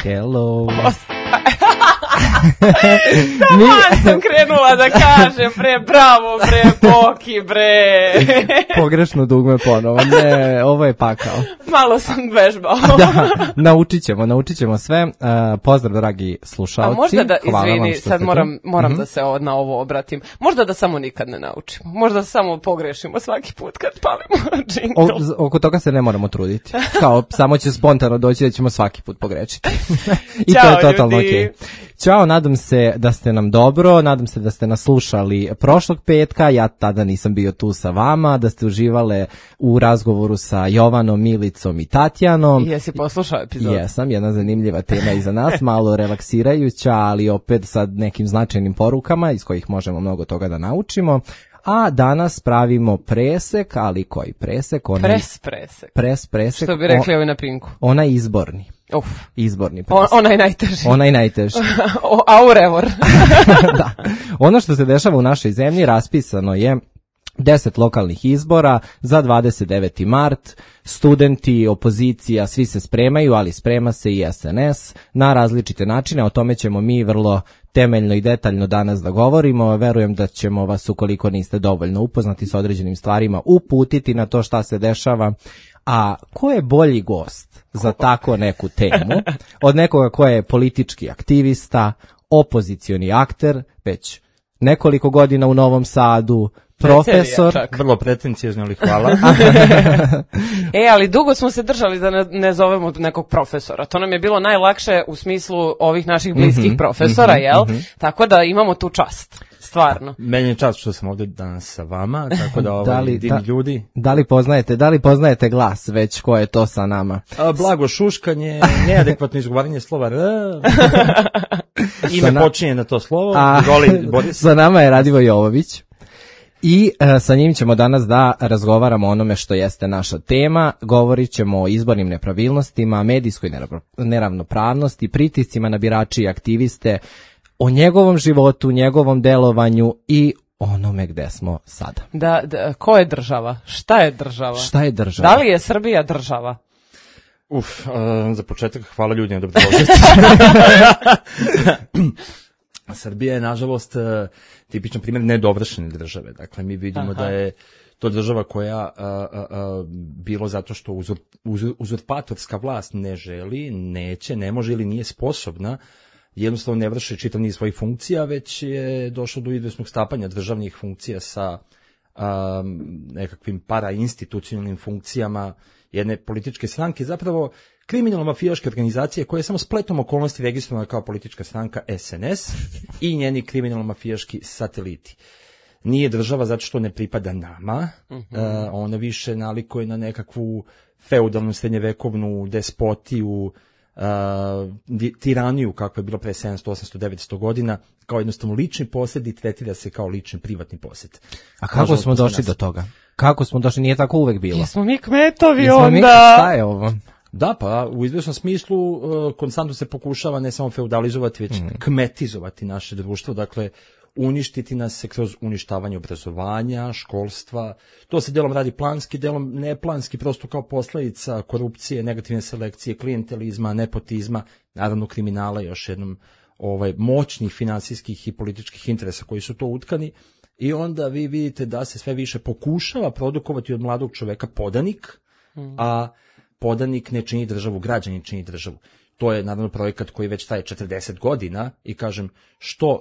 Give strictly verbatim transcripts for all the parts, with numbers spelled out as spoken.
Hello. Taman sam krenula da kažem, bre, bravo, bre, Boki, bre. Pogrešno dugme ponovo, ne, ovo je pakao. Malo sam vežbao. Da, naučit ćemo, naučit ćemo sve. Uh, pozdrav, dragi slušalci. A možda da, Hvala izvini, sad moram, moram mm-hmm. da se o, na ovo obratim. Možda da samo nikad ne naučimo. Možda samo pogrešimo svaki put kad palimo džingl. O, oko toga se ne moramo truditi. Kao, samo će spontano doći da ćemo svaki put pogrešiti. I Ćao, to je totalno ljudi. okej. Ćao, nadam se da ste nam dobro, nadam se da ste nas slušali prošlog petka, ja tada nisam bio tu sa vama, da ste uživale u razgovoru sa Jovanom, Milicom i Tatjanom. Jesi poslušao epizodu? Jesam, jedna zanimljiva tema iza nas, malo relaksirajuća, ali opet sa nekim značajnim porukama iz kojih možemo mnogo toga da naučimo. A danas pravimo presek, ali koji presek? Onaj, pres presek. Pres presek. Što bi rekli on, ovi na Pinku. Onaj izborni. Uf. Izborni presek. On, onaj najteži. Onaj najteži. Aurevor. Da. Ono što se dešava u našoj zemlji raspisano je deset lokalnih izbora za dvadeset deveti mart. Studenti, opozicija, svi se spremaju, ali sprema se i S N S na različite načine. O tome ćemo mi vrlo temeljno i detaljno danas da govorimo. Verujem da ćemo vas, ukoliko niste dovoljno upoznati sa određenim stvarima, uputiti na to šta se dešava. A ko je bolji gost za tako neku temu od nekoga ko je politički aktivista, opozicioni akter, već nekoliko godina u Novom Sadu, profesor. Vrlo pretencijezno, ali hvala. E, ali dugo smo se držali da ne, ne zovemo nekog profesora. To nam je bilo najlakše u smislu ovih naših bliskih mm-hmm, profesora, mm-hmm, jel? Mm-hmm. Tako da imamo tu čast. Stvarno. Meni je čast što sam ovdje danas sa vama, tako da ovaj da li, divni da, ljudi. Da li poznajete, da li poznajete glas već ko je to sa nama? A, blago šuškanje, neadekvatno izgovaranje slova R. Ime na... počinje na to slovo. A, Voli, Boris. Sa nama je Radivo Jovović. I e, sa njim ćemo danas da razgovaramo o onome što jeste naša tema. Govorit ćemo o izbornim nepravilnostima, medijskoj neravnopravnosti, pritiscima na birači i aktiviste, o njegovom životu, njegovom delovanju i onome gde smo sada. Da, da, ko je država? Šta je država? Šta je država? Da li je Srbija država? Uf, uh, za početak hvala ljudima da dobrodošli. Srbija je, nažalost, tipičan primjer nedovršene države. Dakle, mi vidimo Aha. da je to država koja a, a, a, bilo zato što uzur, uzur, uzurpatorska vlast ne želi, neće, ne može ili nije sposobna, jednostavno ne vrši čitav niz svojih funkcija, već je došlo do izvesnog stapanja državnih funkcija sa a, nekakvim parainstitucionalnim funkcijama jedne političke stranke, zapravo kriminalno-mafijaške organizacije koja je samo spletom okolnosti registrovana kao politička stranka S N S i njeni kriminalno-mafijaški sateliti. Nije država zato što ne pripada nama, uh-huh. uh, ona više nalikuje na nekakvu feudalnu srednjevekovnu despotiju, uh, tiraniju kakva je bila pre sedamsto, osamsto, devetsto godina, kao jednostavno lični posjed i tretira se kao lični privatni posjed. A kako Možda smo došli nas... do toga? Kako smo došli? Nije tako uvek bilo. Jesmo mi kmetovi Jesmo onda? Mi, šta je ovo? Da, pa u izvjesnom smislu uh, konstantno se pokušava ne samo feudalizovati, već mm. kmetizovati naše društvo, dakle uništiti nas se kroz uništavanje obrazovanja, školstva. To se delom radi planski, delom neplanski, prosto kao posljedica korupcije, negativne selekcije, klijentelizma, nepotizma, naravno kriminala, još jednom ovaj, moćnih finansijskih i političkih interesa koji su to utkani. I onda vi vidite da se sve više pokušava produkovati od mladog čoveka podanik, mm. a podanik ne čini državu, građanin čini državu. To je naravno projekat koji već traje četrdeset godina i kažem što uh,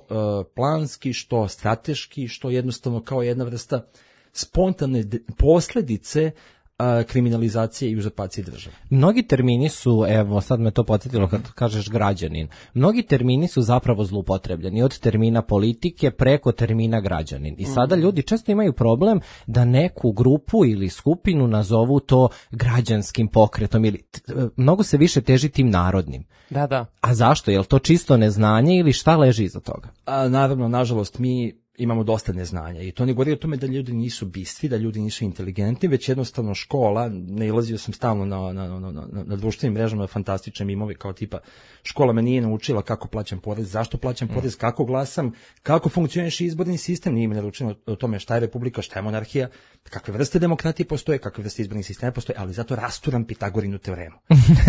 planski, što strateški, što jednostavno kao jedna vrsta spontane de- posljedice uh, kriminalizacije i uzurpacije države. Mnogi termini su, evo sad me to podsjetilo kad kažeš građanin, mnogi termini su zapravo zloupotrebljeni od termina politike preko termina građanin. I sada ljudi često imaju problem da neku grupu ili skupinu nazovu to građanskim pokretom ili t- mnogo se više teži tim narodnim. Da, da. A zašto? Je li to čisto neznanje ili šta leži iza toga? A, naravno, nažalost, mi imamo dosta neznanja i to ne govori o tome da ljudi nisu bistri, da ljudi nisu inteligentni, već jednostavno škola, nailazio sam stalno na, na, na, na, na društvenim mrežama fantastične mimove kao tipa škola me nije naučila kako plaćam porez, zašto plaćam porez, kako glasam, kako funkcioniše izborni sistem, nije mi naručeno o tome šta je republika, šta je monarhija, kakve vrste demokratije postoje, kakve vrste izbornih sistema postoje, ali zato rasturam Pitagorinu teoremu.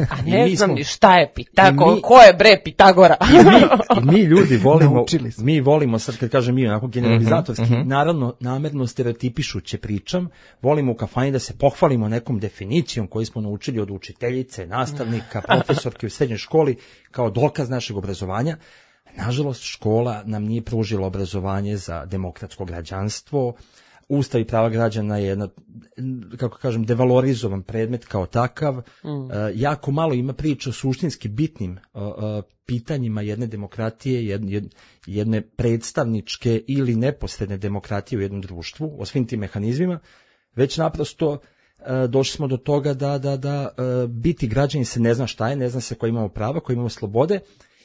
A ne znam ni šta je Pitagora, ko je bre Pitagora? I mi, mi ljudi volimo, mi volimo, sad kad kažem mi, onako generalizatorski, uh-huh, uh-huh. naravno, namerno stereotipišuće pričam, volimo u kafani da se pohvalimo nekom definicijom koju smo naučili od učiteljice, nastavnika, profesorke u srednjoj školi, kao dokaz našeg obrazovanja. Nažalost, škola nam nije pružila obrazovanje za demokratsko građanstvo, Ustav i prava građana je jedna, kako kažem, devalorizovan predmet kao takav. Mm. Uh, jako malo ima priča o suštinski bitnim uh, uh, pitanjima jedne demokratije, jedne, jedne predstavničke ili neposredne demokratije u jednom društvu, o svim tim mehanizmima, već naprosto uh, došli smo do toga da, da, da uh, biti građani se ne zna šta je, ne zna se koji imamo prava, koji imamo slobode.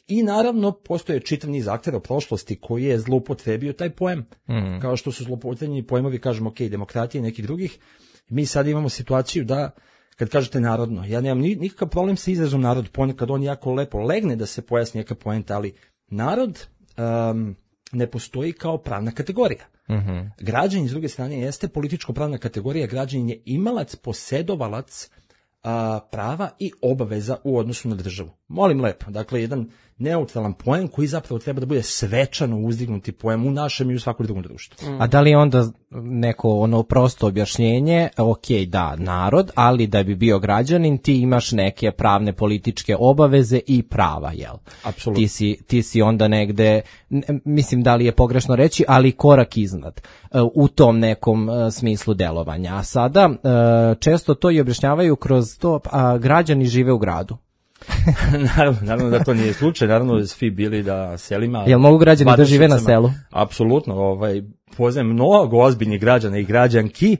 I naravno, postoje čitav niz aktera u prošlosti koji je zloupotrebio taj pojem. Mm. Kao što su zloupotrebljeni pojmovi, kažemo, ok, demokratije i nekih drugih. Mi sad imamo situaciju da, kad kažete narodno, ja nemam nikakav problem sa izrazom narod, ponekad on jako lepo legne da se pojasni neka poenta, ali narod um, ne postoji kao pravna kategorija. Mm-hmm. Građanin, s druge strane, jeste političko-pravna kategorija, građanin je imalac, posedovalac a, prava i obaveza u odnosu na državu. Molim lepo, dakle, jedan neutralan pojem koji zapravo treba da bude svečano uzdignuti pojem u našem i u svakom drugom društvu. Mm. A da li je onda neko ono prosto objašnjenje, ok, da, narod, ali da bi bio građanin, ti imaš neke pravne političke obaveze i prava, jel? Apsolutno. Ti si, ti si onda negde, mislim da li je pogrešno reći, ali korak iznad u tom nekom smislu delovanja. A sada često to i objašnjavaju kroz to, a građani žive u gradu. naravno, naravno da to nije slučaj, naravno da svi bili da selima. Jel mogu građani da žive na selu? Apsolutno, ovaj, poznajem mnogo ozbiljnih građana i građanki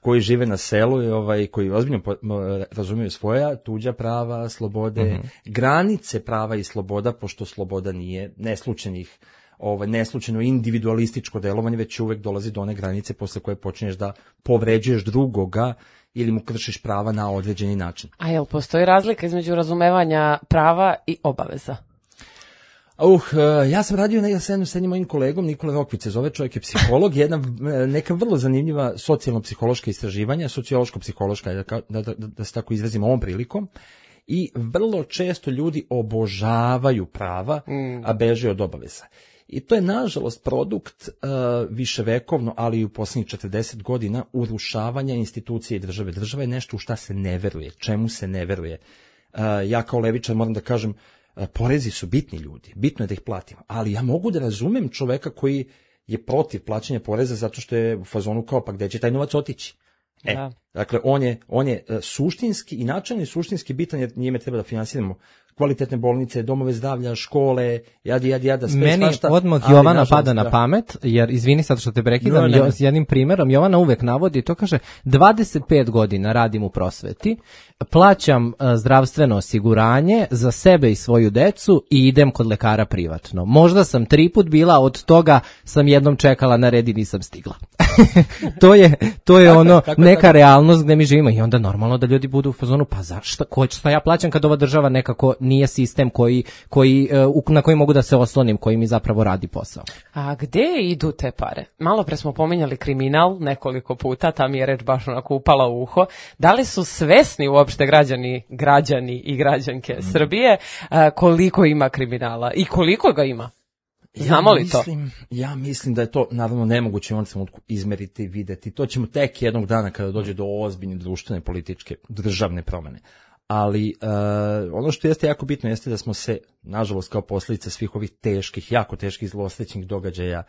koji žive na selu i ovaj, koji ozbiljno razumiju svoja tuđa prava, slobode, mm-hmm. granice prava i sloboda, pošto sloboda nije neslučajnih, ovaj, neslučajno individualističko delovanje, već uvek dolazi do one granice posle koje počinješ da povređuješ drugoga ili mu kršiš prava na određeni način. A jel postoji razlika između razumevanja prava i obaveza? Uh, ja sam radio na jednom s jednim mojim kolegom, Nikola Rokvić se zove, čovjek je psiholog, jedna neka vrlo zanimljiva socijalno-psihološka istraživanja, sociološko-psihološka, da, da, da se tako izrazim ovom prilikom, i vrlo često ljudi obožavaju prava, mm. a beže od obaveza. I to je, nažalost, produkt uh, viševekovno, ali i u posljednjih četrdeset godina urušavanja institucije i države. Država je nešto u šta se ne veruje, čemu se ne veruje. Uh, ja kao levičar moram da kažem, uh, porezi su bitni ljudi, bitno je da ih platimo, ali ja mogu da razumem čoveka koji je protiv plaćanja poreza zato što je u fazonu kao, pa gde će taj novac otići? E, da. Dakle, on je, on je uh, suštinski i načelno i suštinski bitan, jer njime treba da finansiramo kvalitetne bolnice, domove zdravlja, škole, jadi, jadi, jada, sve Meni svašta. Meni odmah Jovana pada na pamet, jer izvini sad što te prekidam, no, s jednim primjerom, Jovana uvek navodi, to kaže, dvadeset pet godina radim u prosveti, plaćam uh, zdravstveno osiguranje za sebe i svoju decu i idem kod lekara privatno. Možda sam tri put bila, od toga sam jednom čekala na red i nisam stigla. to je, to je ono, kako, neka tako? Realnost gde mi živimo i onda normalno da ljudi budu u fazonu, pa zašto, ko će, šta ja plaćam kad ova država nekako nije sistem koji, koji, uh, na koji mogu da se oslonim, koji mi zapravo radi posao. A gde idu te pare? Malo pre smo pominjali kriminal nekoliko puta, ta mi je reč baš onako upala u uho. Da li su svesni uopšte građani, građani i građanke mm. Srbije uh, koliko ima kriminala i koliko ga ima? Znamo ja li mislim, to? Ja mislim da je to naravno nemoguće u ovom trenutku izmeriti i videti. To ćemo tek jednog dana kada dođe do ozbiljne društvene, političke, državne promene. Ali uh, ono što jeste jako bitno jeste da smo se, nažalost, kao posljedica svih ovih teških, jako teških zlosrećnih događaja,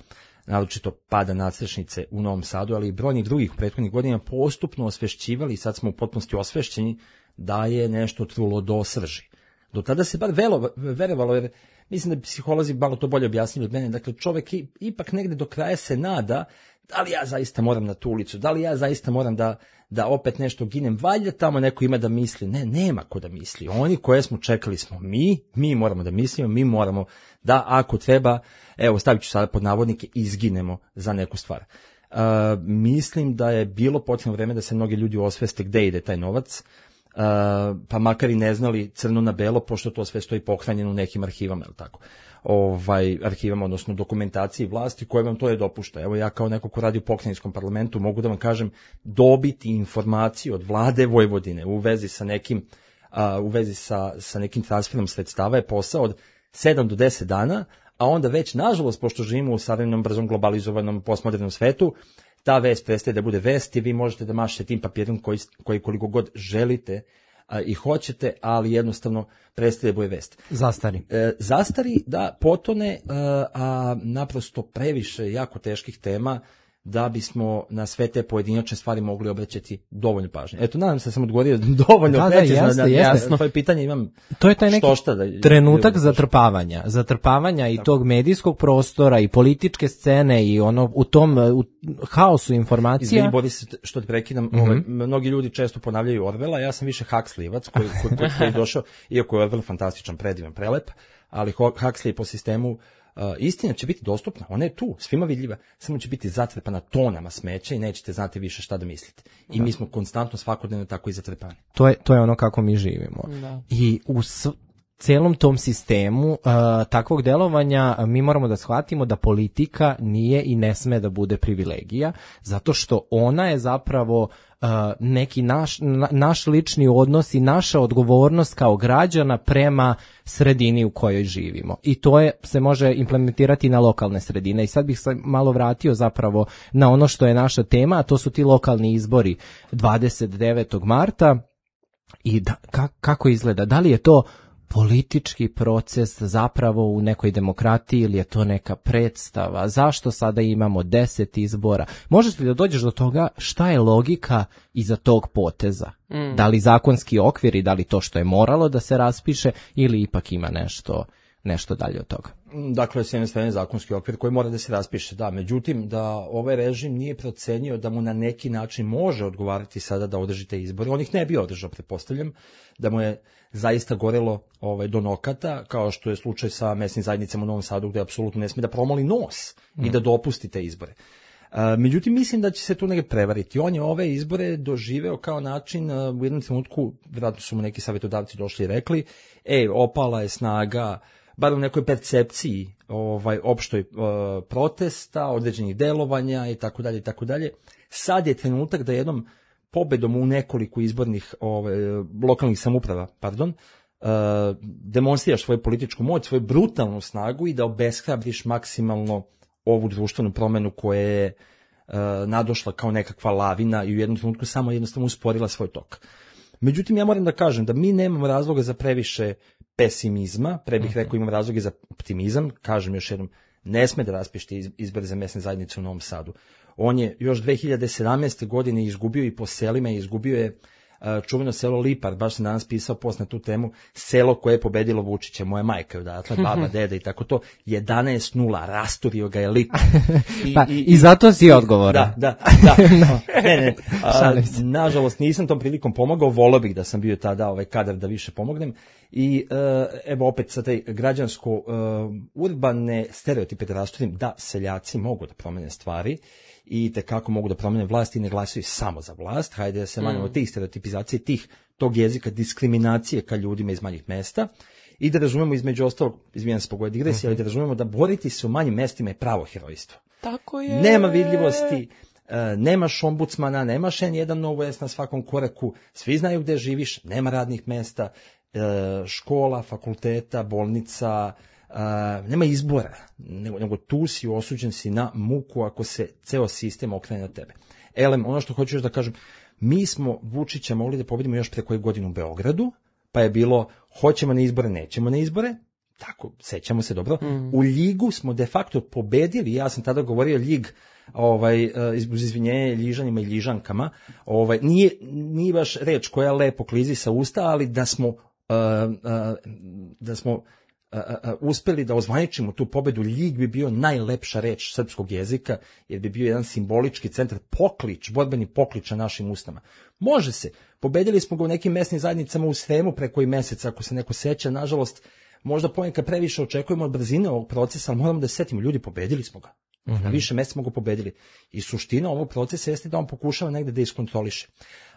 naročito pada nadstrešnice u Novom Sadu, ali i brojnih drugih prethodnih godina postupno osvešćivali i sad smo u potpunosti osvešćeni da je nešto trulo do srži. Do tada se bar velo, verovalo, jer mislim da psiholozi malo to bolje objasnili od mene, dakle čovjek ipak negde do kraja se nada da li ja zaista moram na tu ulicu, da li ja zaista moram da, da opet nešto ginem, valjda tamo neko ima da misli. Ne, nema ko da misli. Oni koje smo čekali smo mi, mi moramo da mislimo, mi moramo da ako treba, evo stavit ću sada pod navodnike, izginemo za neku stvar. Uh, mislim da je bilo potrebno vreme da se mnogi ljudi osveste gde ide taj novac, uh, pa makar i ne znali crno na belo, pošto to sve stoji pohranjeno u nekim arhivama, ili tako. Ovaj, arhivama, odnosno dokumentaciji vlasti koje vam to je dopušta. Evo ja kao neko ko radi u pokrajinskom parlamentu mogu da vam kažem, dobiti informaciju od vlade Vojvodine u vezi sa nekim, uh, u vezi sa, sa nekim transferom sredstava je posao od sedam do deset dana, a onda već, nažalost, pošto živimo u savremenom, brzom, globalizovanom, postmodernom svetu, ta vest prestaje da bude vest i vi možete da mašete tim papirom koji, koji koliko god želite a, i hoćete, ali jednostavno prestaje da bude vest. Zastari. E, zastari da potone, a, a naprosto previše jako teških tema da bismo na sve te pojedinačne stvari mogli obraćati dovoljno pažnje. Eto, nadam se da sam odgovorio dovoljno da, precizno da, jeste, na, jeste. na tvoje pitanje. Imam to je taj neki štošta da, trenutak da, zatrpavanja, zatrpavanja i tog medijskog prostora i političke scene i ono u tom u haosu informacija. Izvini, Boris, što te prekidam, mm-hmm. ovaj, mnogi ljudi često ponavljaju Orwella, ja sam više Huxleyevac koji, koji, koji je došao, iako je Orwell fantastičan, predivan, prelep, ali Huxley po sistemu Uh, istina će biti dostupna, ona je tu, svima vidljiva, samo će biti zatrpana tonama smeća i nećete znati više šta da mislite. I da. Mi smo konstantno svakodnevno tako i zatrpani. To je, to je ono kako mi živimo. Da. I u s, celom tom sistemu uh, takvog delovanja mi moramo da shvatimo da politika nije i ne sme da bude privilegija, zato što ona je zapravo uh, neki naš, na, naš lični odnos i naša odgovornost kao građana prema sredini u kojoj živimo. I to je, se može implementirati na lokalne sredine. I sad bih se malo vratio zapravo na ono što je naša tema, a to su ti lokalni izbori dvadeset devetog marta. I da, ka, kako izgleda? Da li je to politički proces zapravo u nekoj demokratiji ili je to neka predstava? Zašto sada imamo deset izbora? Možeš li da dođeš do toga šta je logika iza tog poteza? Mm. Da li zakonski okvir i da li to što je moralo da se raspiše ili ipak ima nešto, nešto dalje od toga? Dakle, s jedne strane zakonski okvir koji mora da se raspiše, da. Međutim, da ovaj režim nije procenio da mu na neki način može odgovarati sada da održi te izbore. On ih ne bi održao, pretpostavljam, da mu je zaista gorelo ovaj, do nokata, kao što je slučaj sa mesnim zajednicama u Novom Sadu, gde apsolutno ne smije da promoli nos mm. i da dopusti te izbore. Uh, međutim, mislim da će se tu negdje prevariti. On je ove izbore doživeo kao način, uh, u jednom trenutku, vjerojatno su mu neki savjetodavci došli i rekli, ej, opala je snaga, bar u nekoj percepciji ovaj, opštoj uh, protesta, određenih delovanja i tako dalje i tako dalje. Sad je trenutak da jednom pobedom u nekoliko izbornih ovaj, lokalnih samouprava, pardon, uh, demonstriraš svoju političku moć, svoju brutalnu snagu i da obeshrabriš maksimalno ovu društvenu promenu koja je uh, nadošla kao nekakva lavina i u jednom trenutku samo jednostavno usporila svoj tok. Međutim, ja moram da kažem da mi nemamo razloga za previše pesimizma, pre bih rekao imam razloge za optimizam, kažem još jednom, ne sme da raspište izbore za mesne zajednice u Novom Sadu. On je još dve hiljade sedamnaeste. godine izgubio i po selima, izgubio je uh, čuveno selo Lipar, baš sam danas pisao post na tu temu, selo koje je pobedilo Vučića, moja majka, odatle, baba, deda i tako to, jedanaest nula, rasturio ga je Lipar. I, pa, i, i zato si odgovoran. Da, da, da. No. Ne, ne, a, nažalost nisam tom prilikom pomogao, volio bih da sam bio tada ovaj kadar da više pomognem. I uh, evo opet sa taj građansko-urbane uh, stereotipe da rasturim, da seljaci mogu da promene stvari i tekako mogu da promene vlast i ne glasaju samo za vlast. Hajde da se manjamo mm. tih stereotipizacije, tih, tog jezika, diskriminacije ka ljudima iz manjih mesta i da razumemo između ostalog, izvijem se pogoj digresije, mm-hmm. ali da razumemo da boriti se u manjim mestima je pravo herojstvo. Tako je. Nema vidljivosti, uh, nemaš ombudsmana, nemaš en jedan novo jes na svakom koraku, svi znaju gde živiš, nema radnih mesta, škola, fakulteta, bolnica, uh, nema izbora, nego, nego tu si osuđen si na muku ako se ceo sistem okrene na tebe. Elem, ono što hoću još da kažem, mi smo Vučića mogli da pobedimo još pre koju godinu u Beogradu, pa je bilo hoćemo na izbore, nećemo na izbore, tako, sećamo se dobro. Mm. U Ljigu smo de facto pobedili, ja sam tada govorio Ljig, ovaj, uz izvinjenje Ljižanima i Ljižankama, ovaj, nije, nije baš reč koja lepo klizi sa usta, ali da smo Uh, uh, da smo uh, a, a, uspeli da ozvaničimo tu pobedu, Ljig bi bio najlepša reč srpskog jezika, jer bi bio jedan simbolički centar, poklič, borbeni poklič na našim ustama. Može se, pobedili smo ga u nekim mesnim zajednicama u Sremu pre koji mesec, ako se neko seća, nažalost, možda ponekad previše očekujemo od brzine ovog procesa, ali moramo da se setimo, ljudi, pobedili smo ga. Mm-hmm. Na više mesta smo ga pobedili. I suština ovog procesa jeste da on pokušava negde da iskontroliše.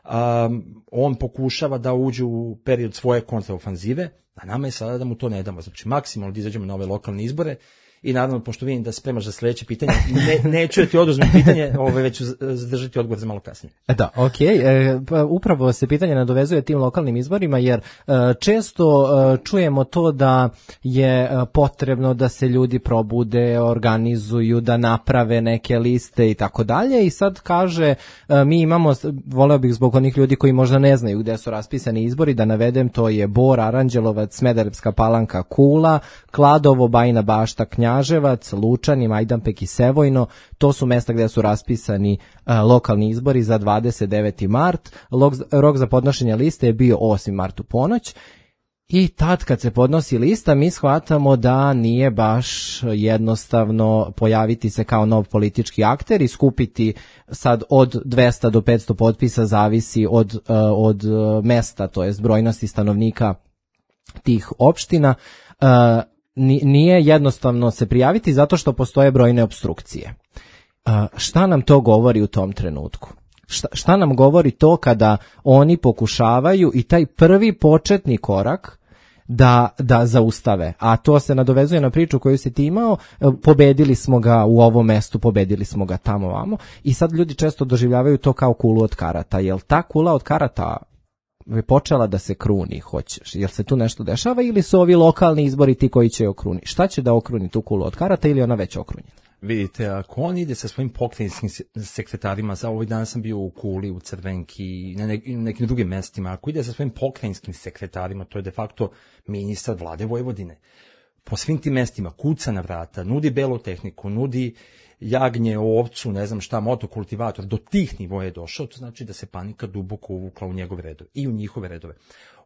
Um, on pokušava da uđe u period svoje kontraofanzive, a nama je sada da mu to ne damo. Znači, maksimalno da izađemo na ove lokalne izbore i naravno, pošto vidim da se spremaš za sledeće pitanje, ne, neću da ti oduzmem pitanje, ove, već ću zadržati odgovor za malo kasnije. Da, okej. Okay. E, pa upravo se pitanje nadovezuje tim lokalnim izborima, jer e, često e, čujemo to da je e, potrebno da se ljudi probude, organizuju, da naprave neke liste i tako dalje, i sad kaže, e, mi imamo, voleo bih zbog onih ljudi koji možda ne znaju gde su raspisani izbori, da navedem, to je Bor, Aranđelovac, Smederevska Palanka, Kula, Kladovo, Bajina Bašta, Knjaževac, Lučani, Majdanpek i Sevojno. To su mesta gde su raspisani uh, lokalni izbori za dvadeset deveti mart. Log, rok za podnošenje liste je bio osmi mart u ponoć. I tad kad se podnosi lista, mi shvatamo da nije baš jednostavno pojaviti se kao nov politički akter i skupiti sad od dvesta do petsto potpisa, zavisi od, uh, od mesta, to jest brojnosti stanovnika tih opština. Uh, Nije jednostavno se prijaviti zato što postoje brojne opstrukcije. Šta nam to govori u tom trenutku? Šta, šta nam govori to kada oni pokušavaju i taj prvi početni korak da, da zaustave? A to se nadovezuje na priču koju si ti imao, pobedili smo ga u ovom mestu, pobedili smo ga tamo vamo, i sad ljudi često doživljavaju to kao kulu od karata. Jel ta kula od karata je počela da se kruni, hoćeš? Jel se tu nešto dešava ili su ovi lokalni izbori ti koji će okruni? Šta će da okruni tu kulu od karata ili ona već okrunjena? Vidite, ako on ide sa svojim pokrajinskim sekretarima, za ovih dana sam bio u Kuli, u Crvenki, na nekim drugim mestima, ako ide sa svojim pokrajinskim sekretarima, to je de facto ministar vlade Vojvodine. Po svim tim mestima kuca na vrata, nudi belu tehniku, nudi jagnje, ovcu, ne znam šta, motokultivator, do tih nivoja je došao, to znači da se panika duboko uvukla u njegove redove i u njihove redove.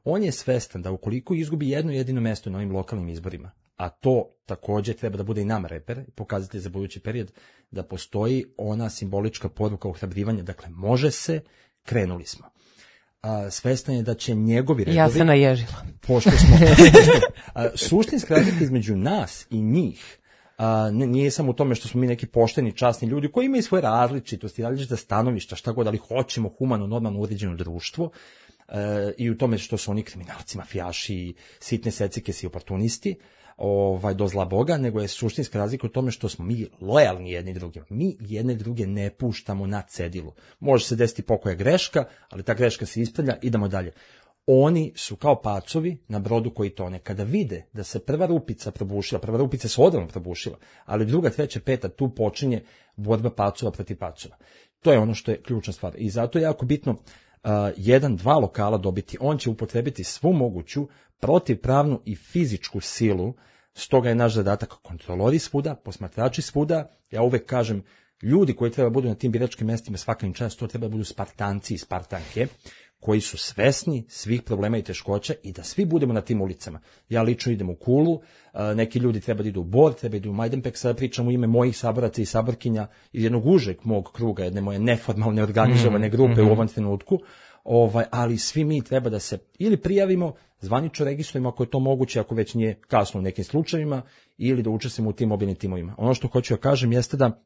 On je svestan da ukoliko izgubi jedno jedino mesto na ovim lokalnim izborima, a to takođe treba da bude i nam reper, pokazatelj za budući period, da postoji ona simbolička poruka ohrabrivanja, dakle može se, krenuli smo. A, svestan je da će njegovi redovi... Ja se naježila. Pošto smo... a, suštinska razlika između nas i njih a, nije samo u tome što smo mi neki pošteni, časni ljudi koji imaju svoje različitosti, različita stanovišta, šta god, ali hoćemo humano, normalno uređeno društvo, e, i u tome što su oni kriminalci, mafijaši, sitne secikesi i oportunisti, ovaj, do zla Boga, nego je suštinska razlika u tome što smo mi lojalni jedni drugima. Mi jedne druge ne puštamo na cedilu. Može se desiti pokoja greška, ali ta greška se ispravlja, idemo dalje. Oni su kao pacovi na brodu koji tone. Kada vide da se prva rupica probušila, prva rupica se odavno probušila, ali druga, treća, peta, tu počinje borba pacova protiv pacova. To je ono što je ključna stvar. I zato je jako bitno uh, jedan, dva lokala dobiti. On će upotrebiti svu moguću protivpravnu i fizičku silu, stoga je naš zadatak kontrolori svuda, posmatrači svuda. Ja uvek kažem, ljudi koji treba budu na tim biračkim mestima svaka im čast, to treba budu Spartanci i Spartanke, koji su svesni svih problema i teškoća i da svi budemo na tim ulicama. Ja lično idem u Kulu, neki ljudi treba da idu u Bor, treba da idu u Majdanpek, sada pričam u ime mojih saboraca i saborkinja iz jednog užeg mog kruga, jedne moje neformalne organizovane grupe mm-hmm. u ovom trenutku, ovaj, ali svi mi treba da se ili prijavimo, zvanično registrujemo ako je to moguće, ako već nije kasno u nekim slučajevima, ili da učestvujemo u tim mobilnim timovima. Ono što hoću da kažem jeste da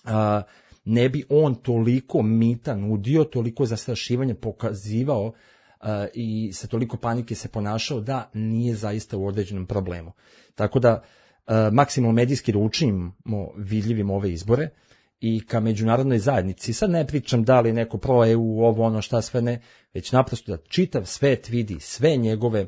a, ne bi on toliko mita nudio, toliko zastrašivanja pokazivao uh, i sa toliko panike se ponašao da nije zaista u određenom problemu. Tako da uh, maksimalno medijski da učinimo vidljivim ove izbore i ka međunarodnoj zajednici. Sad ne pričam da li neko pro-E U, ovo ono šta sve ne, već naprosto da čitav svet vidi sve njegove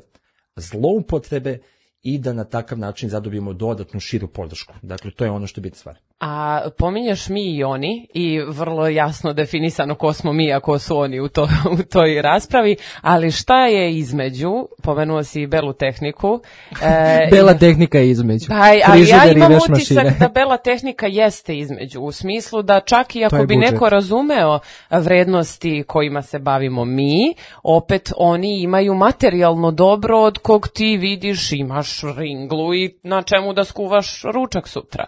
zloupotrebe i da na takav način zadobijemo dodatnu širu podršku. Dakle, to je ono što je bitna stvar. A pominješ mi i oni i vrlo jasno definisano ko smo mi, a ko su oni u, to, u toj raspravi, ali šta je između, pomenuo si Belu tehniku. E, Bela tehnika je između. Pa, ali ja imam utisak mašine. da Bela tehnika jeste između, u smislu da čak i ako bi budžet. neko razumeo vrednosti kojima se bavimo mi, opet oni imaju materijalno dobro od kog ti vidiš, imaš ringlu i na čemu da skuvaš ručak sutra.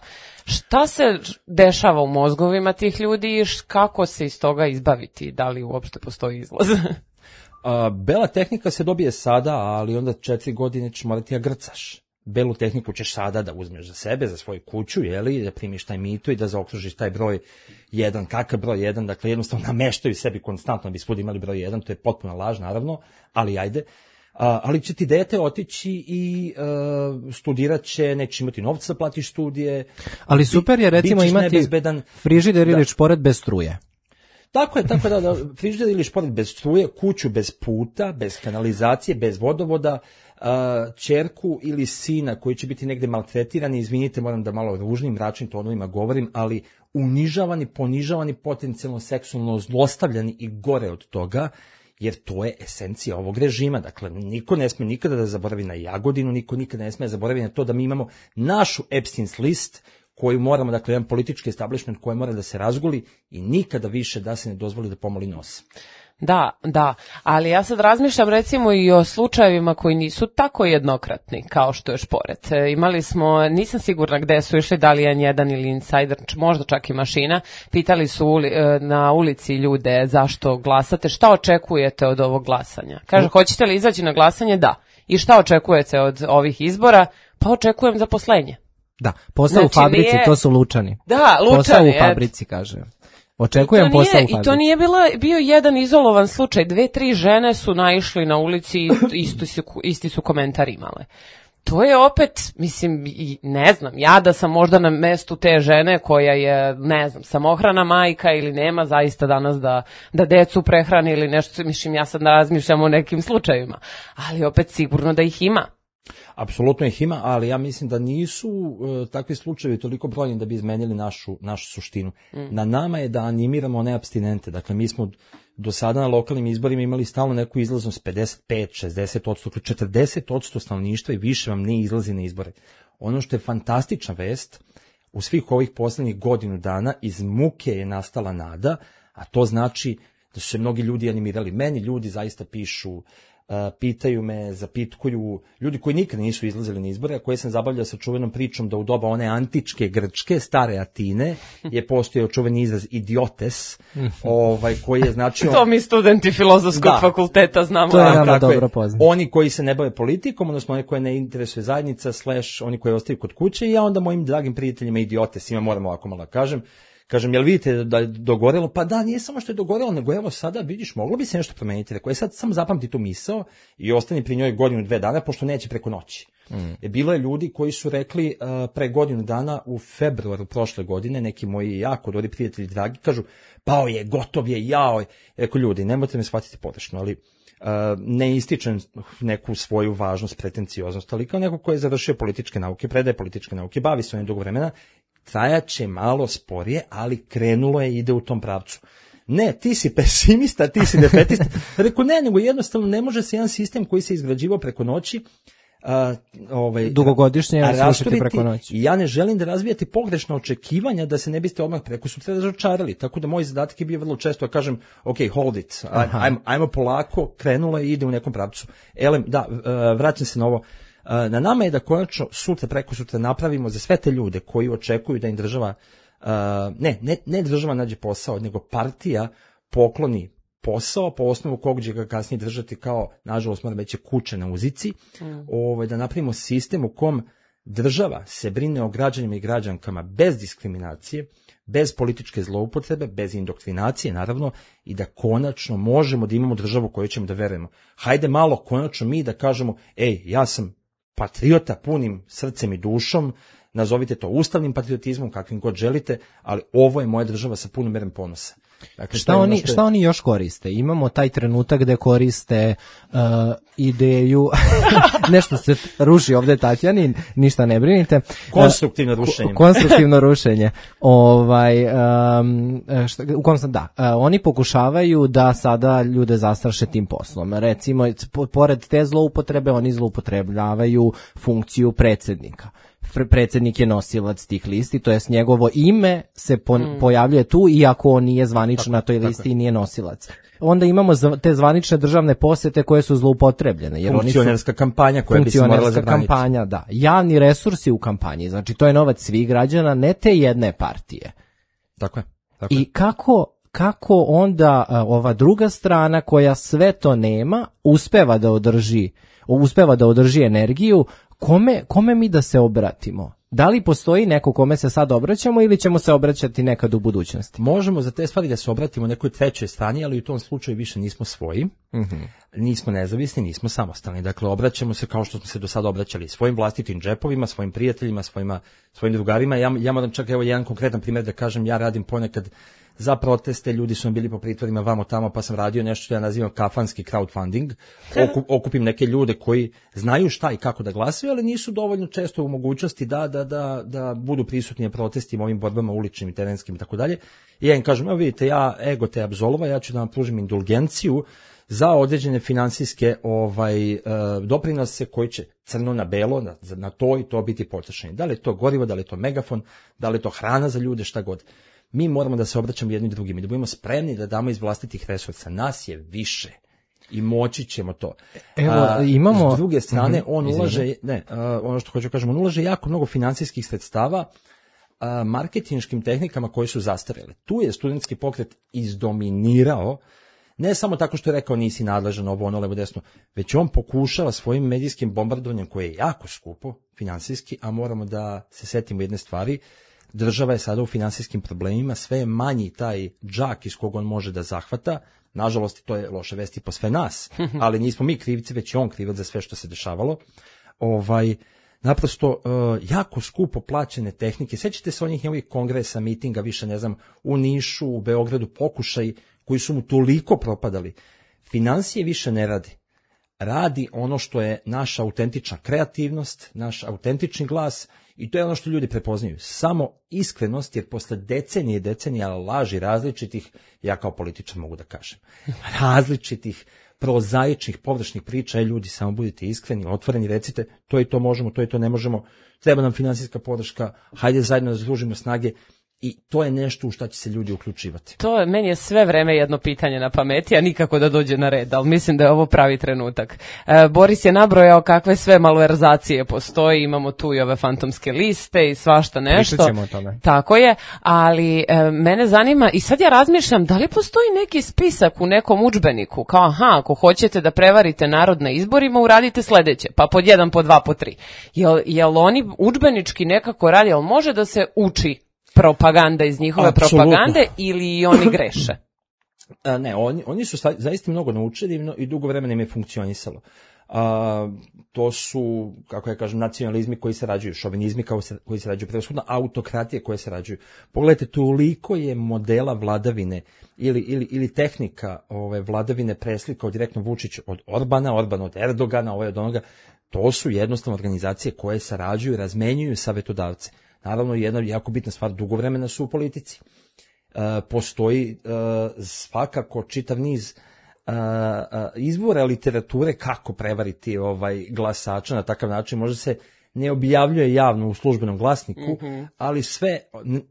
Šta se dešava u mozgovima tih ljudi i kako se iz toga izbaviti? Da li uopšte postoji izlaz? A, bela tehnika se dobije sada, ali onda četiri godine ćeš morati da grcaš. Belu tehniku ćeš sada da uzmeš za sebe, za svoju kuću, jeli, da primiš taj mito i da zaokružiš taj broj jedan. Kakav broj jedan? Dakle, jednostavno nameštaju sebi konstantno, bi svud imali broj jedan, to je potpuna laž, naravno, ali ajde. A, ali će ti dete otići i uh, studirat će, neće imati novca da platiš studije. Ali super je recimo imati nebezbedan, frižider ili da. šporet bez struje. Tako je, tako da, da frižider ili šporet bez struje, kuću bez puta, bez kanalizacije, bez vodovoda, uh, ćerku ili sina koji će biti negde maltretirani, izvinite, moram da malo ružnim, mračnim tonovima govorim, ali unižavani, ponižavani, potencijalno seksualno zlostavljani i gore od toga, jer to je esencija ovog režima. Dakle, niko ne sme nikada da zaboravi na Jagodinu, niko nikada ne sme da zaboravi na to da mi imamo našu Epstein's list koju moramo, dakle, jedan politički establishment koji mora da se razguli i nikada više da se ne dozvoli da pomoli nos. Da, da, ali ja sad razmišljam recimo i o slučajevima koji nisu tako jednokratni kao što je šporet. E, imali smo, nisam sigurna gde su išli, da li je jedan ili Insider, možda čak i Mašina, pitali su uli, e, na ulici ljude zašto glasate, šta očekujete od ovog glasanja. Kaže, no. Hoćete li izaći na glasanje? Da. I šta očekujete od ovih izbora? Pa očekujem zaposlenje. Da, posao znači, u fabrici, nije... to su Lučani. Da, Lučani. Posao u fabrici, kaže. Očekujem posao u fabrici. I to nije bila, bio jedan izolovan slučaj. Dve, tri žene su naišli na ulici i isti su, isti su komentar imale. To je opet, mislim, ne znam, ja da sam možda na mestu te žene koja je, ne znam, samohrana majka ili nema zaista danas da, da decu prehrani ili nešto, mislim, ja sad razmišljam o nekim slučajevima. Ali opet sigurno da ih ima. Apsolutno ih ima, ali ja mislim da nisu uh, takvi slučajevi toliko brojni da bi izmenili našu, našu suštinu. Mm. Na nama je da animiramo one apstinente. Dakle, mi smo do sada na lokalnim izborima imali stalno neku izlaznost pedeset pet, šezdeset odsto, četrdeset odsto stanovništva i više vam ne izlazi na izbore. Ono što je fantastična vest, u svih ovih poslednjih godinu dana iz muke je nastala nada, a to znači da su se mnogi ljudi animirali. Meni ljudi zaista pišu, Uh, pitaju me, zapitkuju, ljudi koji nikada nisu izlazili na izbore, a koje sam zabavljao sa čuvenom pričom da u doba one antičke Grčke, stare Atine, je postojao čuveni izraz idiotes, ovaj, koji je značio... To mi studenti filozofskog da, fakulteta znamo. To je nama dobro poznato. Oni koji se ne bave politikom, odnosno oni koje ne interesuje zajednica, slash oni koji ostaju kod kuće, i ja onda mojim dragim prijateljima idiotesima, moram ovako malo kažem, Kažem, jel vidite da je dogorelo? Pa da, nije samo što je dogorelo, nego evo sada, vidiš, moglo bi se nešto promeniti. Rekao je, sad samo zapamti tu misao i ostani pri njoj godinu, dve dana, pošto neće preko noći. Mm. E, bilo je ljudi koji su rekli uh, pre godinu dana u februaru prošle godine, neki moji jako dobri prijatelji dragi, kažu, pao je, gotov je, jao je. Rekao, ljudi, nemojte me shvatiti pogrešno, ali uh, ne ističem neku svoju važnost, pretencioznost, ali kao neko ko je završio političke nauke, predaje političke nauke, bavi se onim dugo vremena, trajaće malo sporije, ali krenulo je i ide u tom pravcu. Ne, ti si pesimista, ti si defetista. Rekao, ne, nego jednostavno ne može se jedan sistem koji se izgrađivao preko noći, a, ovaj, dugogodišnje srušiti preko noći. I ja ne želim da razvijate pogrešna očekivanja da se ne biste odmah preko sutra razočarali. Tako da moj zadatak je bio vrlo često da kažem, ok, hold it, ajmo, ajmo polako, krenulo je i ide u nekom pravcu. Elem, da, vraćam se na ovo. Na nama je da konačno sutra, preko sutra napravimo za sve te ljude koji očekuju da im država, ne, ne, ne država nađe posao, nego partija pokloni posao po osnovu kog će ga kasnije držati kao, nažalost, moram reći, kuće na uzici, mm. ovaj, da napravimo sistem u kom država se brine o građanima i građankama bez diskriminacije, bez političke zloupotrebe, bez indoktrinacije, naravno, i da konačno možemo da imamo državu koju ćemo da verujemo. Hajde malo konačno mi da kažemo, ej, ja sam patriota punim srcem i dušom, nazovite to ustavnim patriotizmom, kakvim god želite, ali ovo je moja država sa punom merom ponosa. Dakle, šta, oni, šta oni još koriste? Imamo taj trenutak gde koriste uh, ideju, nešto se ruši ovde Tatjani, ništa ne brinite. Konstruktivno rušenje. Konstruktivno rušenje. Ovaj, um, šta, u kom sam, da, uh, oni pokušavaju da sada ljude zastraše tim poslom. Recimo, pored te zloupotrebe, oni zloupotrebljavaju funkciju predsjednika. Predsjednik je nosilac tih listi, to jest njegovo ime se po, mm. pojavljuje tu, iako on nije zvanično na toj listi i nije nosilac. Onda imamo te zvanične državne posete koje su zloupotrebljene. Jer funkcionerska oni su, kampanja koja bi se morala zabraniti. Kampanja, da. Javni resursi u kampanji, znači to je novac svih građana, ne te jedne partije. Tako je. Tako je. I kako, kako onda a, ova druga strana koja sve to nema, uspeva da održi, uspeva da održi energiju. Kome, kome mi da se obratimo? Da li postoji neko kome se sad obraćamo ili ćemo se obraćati nekad u budućnosti? Možemo za te stvari da se obratimo nekoj trećoj strani, ali u tom slučaju više nismo svoji, mm-hmm. nismo nezavisni, nismo samostalni. Dakle, obraćamo se kao što smo se do sada obraćali svojim vlastitim džepovima, svojim prijateljima, svojima, svojim drugarima. Ja, ja moram čak evo jedan konkretan primjer da kažem, ja radim ponekad za proteste, ljudi su bili po pritvorima vamo tamo, pa sam radio nešto što ja nazivam kafanski crowdfunding. Okup, okupim neke ljude koji znaju šta i kako da glasaju, ali nisu dovoljno često u mogućnosti da, da, da, da budu prisutni na protestima, ovim borbama uličnim i terenskim i tako dalje. I ja im kažem, evo vidite, ja ego te apzolova, ja ću da vam pružim indulgenciju za određene finansijske ovaj, e, doprinose koji će crno na belo, na, na to i to biti potrošeni. Da li je to gorivo, da li je to megafon, da li je to hrana za ljude, šta god. Mi moramo da se obraćamo jedni drugim i da budemo spremni da damo iz vlastitih resursa. Nas je više i moći ćemo to. Evo, a, imamo... S druge strane, on ulaže, ne, a, ono što hoću kažem, on ulaže jako mnogo finansijskih sredstava a, marketinškim tehnikama koje su zastarele. Tu je studentski pokret izdominirao, ne samo tako što je rekao nisi nadležan ovo, ono, levo, desno, već on pokušava svojim medijskim bombardovanjem koje je jako skupo finansijski, a moramo da se setimo jedne stvari. Država je sada u finansijskim problemima, sve je manji taj džak iz kog on može da zahvata. Nažalost, to je loše vesti po sve nas, ali nismo mi krivci, već je on krivac za sve što se dešavalo. Ovaj, naprosto, uh, jako skupo plaćene tehnike. Sjećate se onih njegovih kongresa, mitinga, više ne znam, u Nišu, u Beogradu, pokušaj koji su mu toliko propadali. Finansije više ne radi. Radi ono što je naša autentična kreativnost, naš autentični glas. I to je ono što ljudi prepoznaju. Samo iskrenost, jer posle decenije i decenija laži različitih, ja kao političar mogu da kažem, različitih prozaičnih, površnih priča, ljudi, samo budite iskreni, otvoreni, recite, to i to možemo, to i to ne možemo, treba nam finansijska podrška, hajde zajedno da združimo snage. I to je nešto u šta će se ljudi uključivati. To je, meni je sve vreme jedno pitanje na pameti, a nikako da dođe na red, ali mislim da je ovo pravi trenutak. E, Boris je nabrojao kakve sve malverzacije postoji, imamo tu i ove fantomske liste i svašta nešto. Pričat ćemo o tome. Tako je, ali e, mene zanima, i sad ja razmišljam, da li postoji neki spisak u nekom udžbeniku, kao aha, ako hoćete da prevarite narod na izborima, uradite sledeće, pa pod jedan, pod dva, pod tri. Jel, jel oni udžbenički nekako radi, jel može da se uči propaganda iz njihove Absolutno. propagande ili oni greše? A, ne, oni, oni su sta, zaista mnogo naučili i dugo vremena im je funkcionisalo. A, to su, kako ja kažem, nacionalizmi koji se rađuju, šovinizmi koji se, koji se rađuju, prevashodno autokratije koje se rađuju. Pogledajte, toliko je modela vladavine ili, ili, ili tehnika ove vladavine preslikao direktno Vučić od Orbana, Orban od Erdogana, ovaj od onoga. To su jednostavno organizacije koje sarađuju, razmenjuju savetodavce. Naravno, jedna jako bitna stvar, dugo vremena su u politici. E, postoji e, svakako čitav niz e, e, izvora literature kako prevariti ovaj glasača na takav način. Možda se ne objavljuje javno u službenom glasniku, mm-hmm. ali sve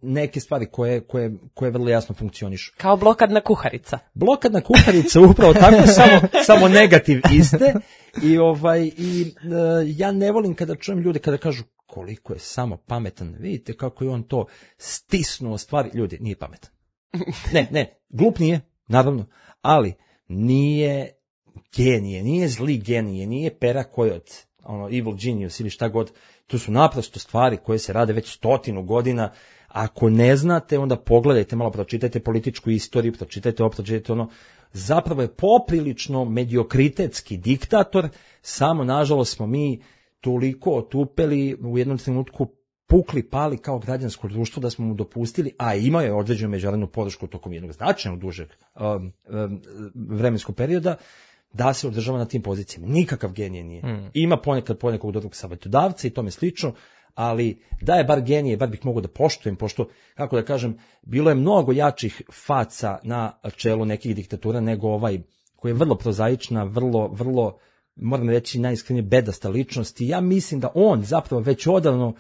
neke stvari koje, koje, koje vrlo jasno funkcionišu. Kao blokadna kuharica. Blokadna kuharica, upravo tako, samo, samo negativ iste. I, ovaj, i e, ja ne volim kada čujem ljude kada kažu koliko je samo pametan. Vidite kako je on to stisnuo stvari. Ljudi, nije pametan. Ne, ne, glup nije, naravno, ali nije genije, nije zli genije, nije pera kojot, ono, evil genius ili šta god. To su naprosto stvari koje se rade već stotinu godina. Ako ne znate, onda pogledajte malo, pročitajte političku istoriju, pročitajte ovo, pročitajte ono. Zapravo je poprilično mediokritetski diktator, samo nažalost smo mi toliko otupeli u jednom trenutku pukli, pali kao građansko društvo, da smo mu dopustili, a imao je određenu međunarodnu podršku tokom jednog značajnog dužeg um, um, vremenskog perioda, da se održava na tim pozicijama. Nikakav genije nije. Mm. Ima ponekad ponekog dobrog savjetodavca i tome slično, ali da je bar genije, bar bih mogao da poštujem, pošto, kako da kažem, bilo je mnogo jačih faca na čelu nekih diktatura nego ovaj, koji je vrlo prozaična, vrlo, vrlo, moram reći, najiskrenije bedasta ličnost. I ja mislim da on zapravo već odavno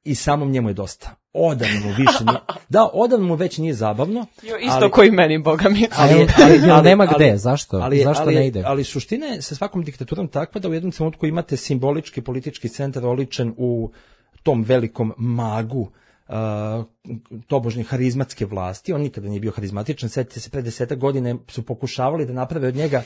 i samom njemu je dosta. Odavno mu više nije. Da, odavno mu već nije zabavno. Jo, isto ali, koji meni, Boga mi. Ali, ali, ali, ali nema gde, zašto? Ali, zašto ali, ne ide? Ali suština je sa svakom diktaturom takva da u jednom trenutku imate simbolički politički centar oličen u tom velikom magu uh, tobožnje harizmatske vlasti. On nikada nije bio harizmatičan. Sjetite se, pre desetak godine su pokušavali da naprave od njega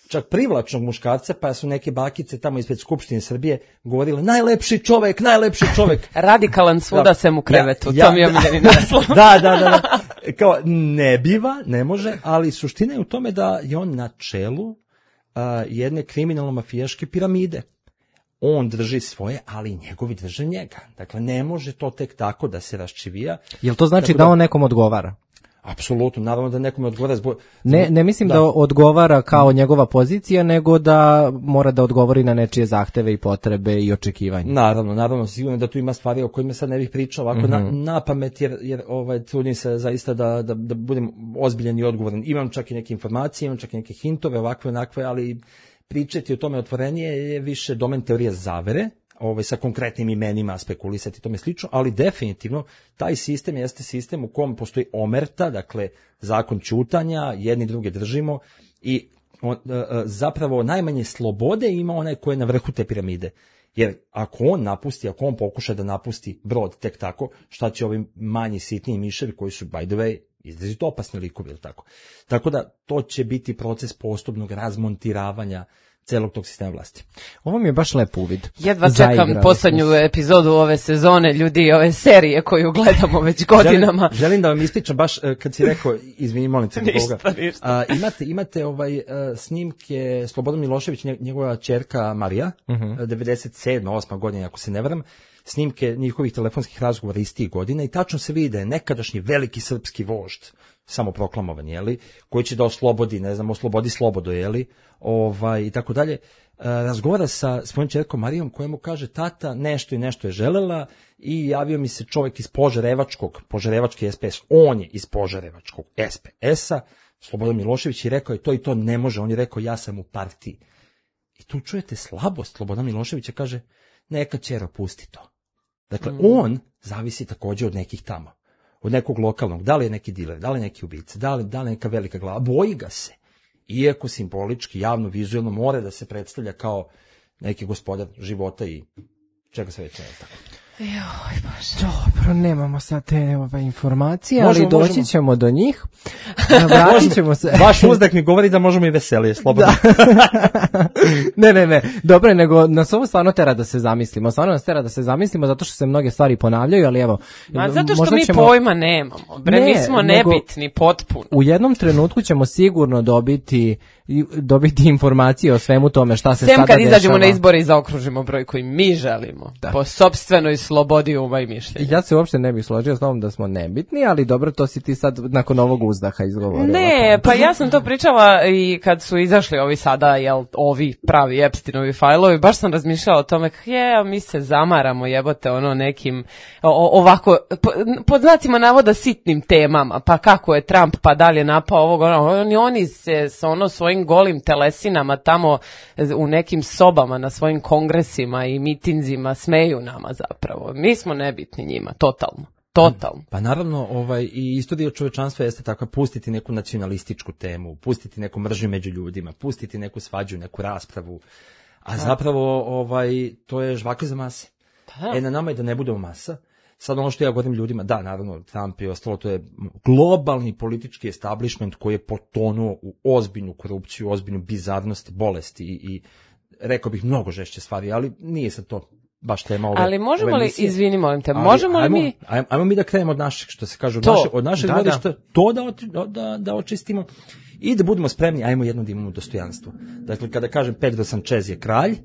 čak privlačnog muškarca, pa su neke bakice tamo ispred Skupštine Srbije govorile najlepši čovek, najlepši čovek. Radikalan svuda da, sem u krevetu, ja, ja, to mi je omiljeni naslov. Da, da, da, da. Kao, ne biva, ne može, ali suština je u tome da je on na čelu uh, jedne kriminalno-mafijaške piramide. On drži svoje, ali i njegovi drže njega. Dakle, ne može to tek tako da se raščivija. Jel to znači da, da on nekom odgovara? Apsolutno, naravno da nekome odgovara zbog... Ne, ne mislim da. da odgovara kao njegova pozicija, nego da mora da odgovori na nečije zahteve i potrebe i očekivanja. Naravno, naravno, sigurno da tu ima stvari o kojima sad ne bih pričao ovako mm-hmm. na, na pamet, jer, jer ovaj, trudim se zaista da, da, da budem ozbiljan i odgovoran. Imam čak i neke informacije, imam čak i neke hintove, ovakve, onakve, ali pričati o tome otvorenije je više domen teorije zavere, ovaj, sa konkretnim imenima spekulisati tome slično, ali definitivno taj sistem jeste sistem u kom postoji omerta, dakle zakon ćutanja, jedni druge držimo i on, zapravo najmanje slobode ima onaj ko je na vrhu te piramide. Jer ako on napusti, ako on pokuša da napusti brod tek tako, šta će ovi manji sitniji miševi koji su, by the way, izrazito opasni likovi, ili tako. Tako da to će biti proces postupnog razmontiravanja celog tog sistema vlasti. Ovo mi je baš lep uvid. Jedva čekam poslednju epizodu ove sezone, ljudi, ove serije koju gledamo već godinama. Želim, želim da vam ispričam baš kad si rekao, izvini, molim se. Ništa, ništa. A, imate, imate ovaj, a, snimke Slobodan Milošević, njegova ćerka Marija, uh-huh. devedeset sedma osma godina, ako se ne varam, snimke njihovih telefonskih razgovora iz tih godina i tačno se vidi da je nekadašnji veliki srpski vožd, samoproklamovan, jeli, koji će da oslobodi, ne znam, oslobodi slobodo, jeli, ovaj, i tako dalje, razgovara sa svojom ćerkom Marijom koja mu kaže, tata, nešto i nešto je želela i javio mi se čovjek iz Požarevačkog, Požarevački es pe es, on je iz Požarevačkog es pe es-a, Slobodan Milošević, i rekao je to i to ne može, on je rekao ja sam u partiji. I tu čujete slabost Slobodan Miloševića, kaže, neka ćero, pusti to. Dakle, mm. on zavisi također od nekih tamo. Od nekog lokalnog, da li je neki diler, da li je neki ubica, da li, da li neka velika glava, boji ga se. Iako simbolički, javno, vizualno mora da se predstavlja kao neki gospodar života i čega se već ne tako. Joj, Bože. Dobro, nemamo sad te ove informacije, možemo, ali doći možemo. ćemo do njih. Vratit ćemo se. Vaš uzdak mi govori da možemo i veselije, slobodno. ne, ne, ne. Dobro, nego nas ovo stvarno tera da se zamislimo. Stvarno nas tera da se zamislimo zato što se mnoge stvari ponavljaju, ali evo. Ma zato što mi ćemo... pojma nemamo. Bre, ne, mi smo nebitni, potpuno. U jednom trenutku ćemo sigurno dobiti dobiti informacije o svemu tome šta se Sem sada kad dešava. Izađemo na izbore i zaokružimo broj koji mi želimo. Da. Po sopstvenoj slobodi uma i mišljenja. Ja se uopšte ne bih složio s tom da smo nebitni, ali dobro, to si ti sad nakon ovog uzdaha izgovorila. Ne, pa ja sam to pričala i kad su izašli ovi sada, jel, ovi pravi Epsteinovi fajlovi, baš sam razmišljala o tome, je, mi se zamaramo, jebote, ono nekim, o, ovako, po, pod znacima navoda sitnim temama, pa kako je Trump, pa dalje napao ovog, ono, oni, oni se sa ono svojim golim telesinama tamo u nekim sobama na svojim kongresima i mitinzima smeju nama zapravo. Mi smo nebitni njima, totalno. Totalno. Pa naravno, ovaj, i istorija čovečanstva jeste takva, pustiti neku nacionalističku temu, pustiti neku mržnju među ljudima, pustiti neku svađu, neku raspravu, a zapravo ovaj, to je žvaka za mase. Da. E, na nama je da ne budemo masa. Sad ono što ja govorim ljudima, da, naravno, Trump i ostalo, to je globalni politički establishment koji je potonuo u ozbiljnu korupciju, ozbiljnu bizarnost, bolesti i, i rekao bih mnogo žešće stvari, ali nije sad to baš tema ove. Ali možemo ove li, izvini, molim te, ali, možemo li ajmo, mi... Ajmo, ajmo mi da krenemo od našeg, što se kaže, od, to, naše, od našeg da, gledišta, da. to da, da, da očistimo i da budemo spremni, ajmo jedno da imamo dostojanstvo. Dakle, kada kažem Pedro Sanchez je kralj,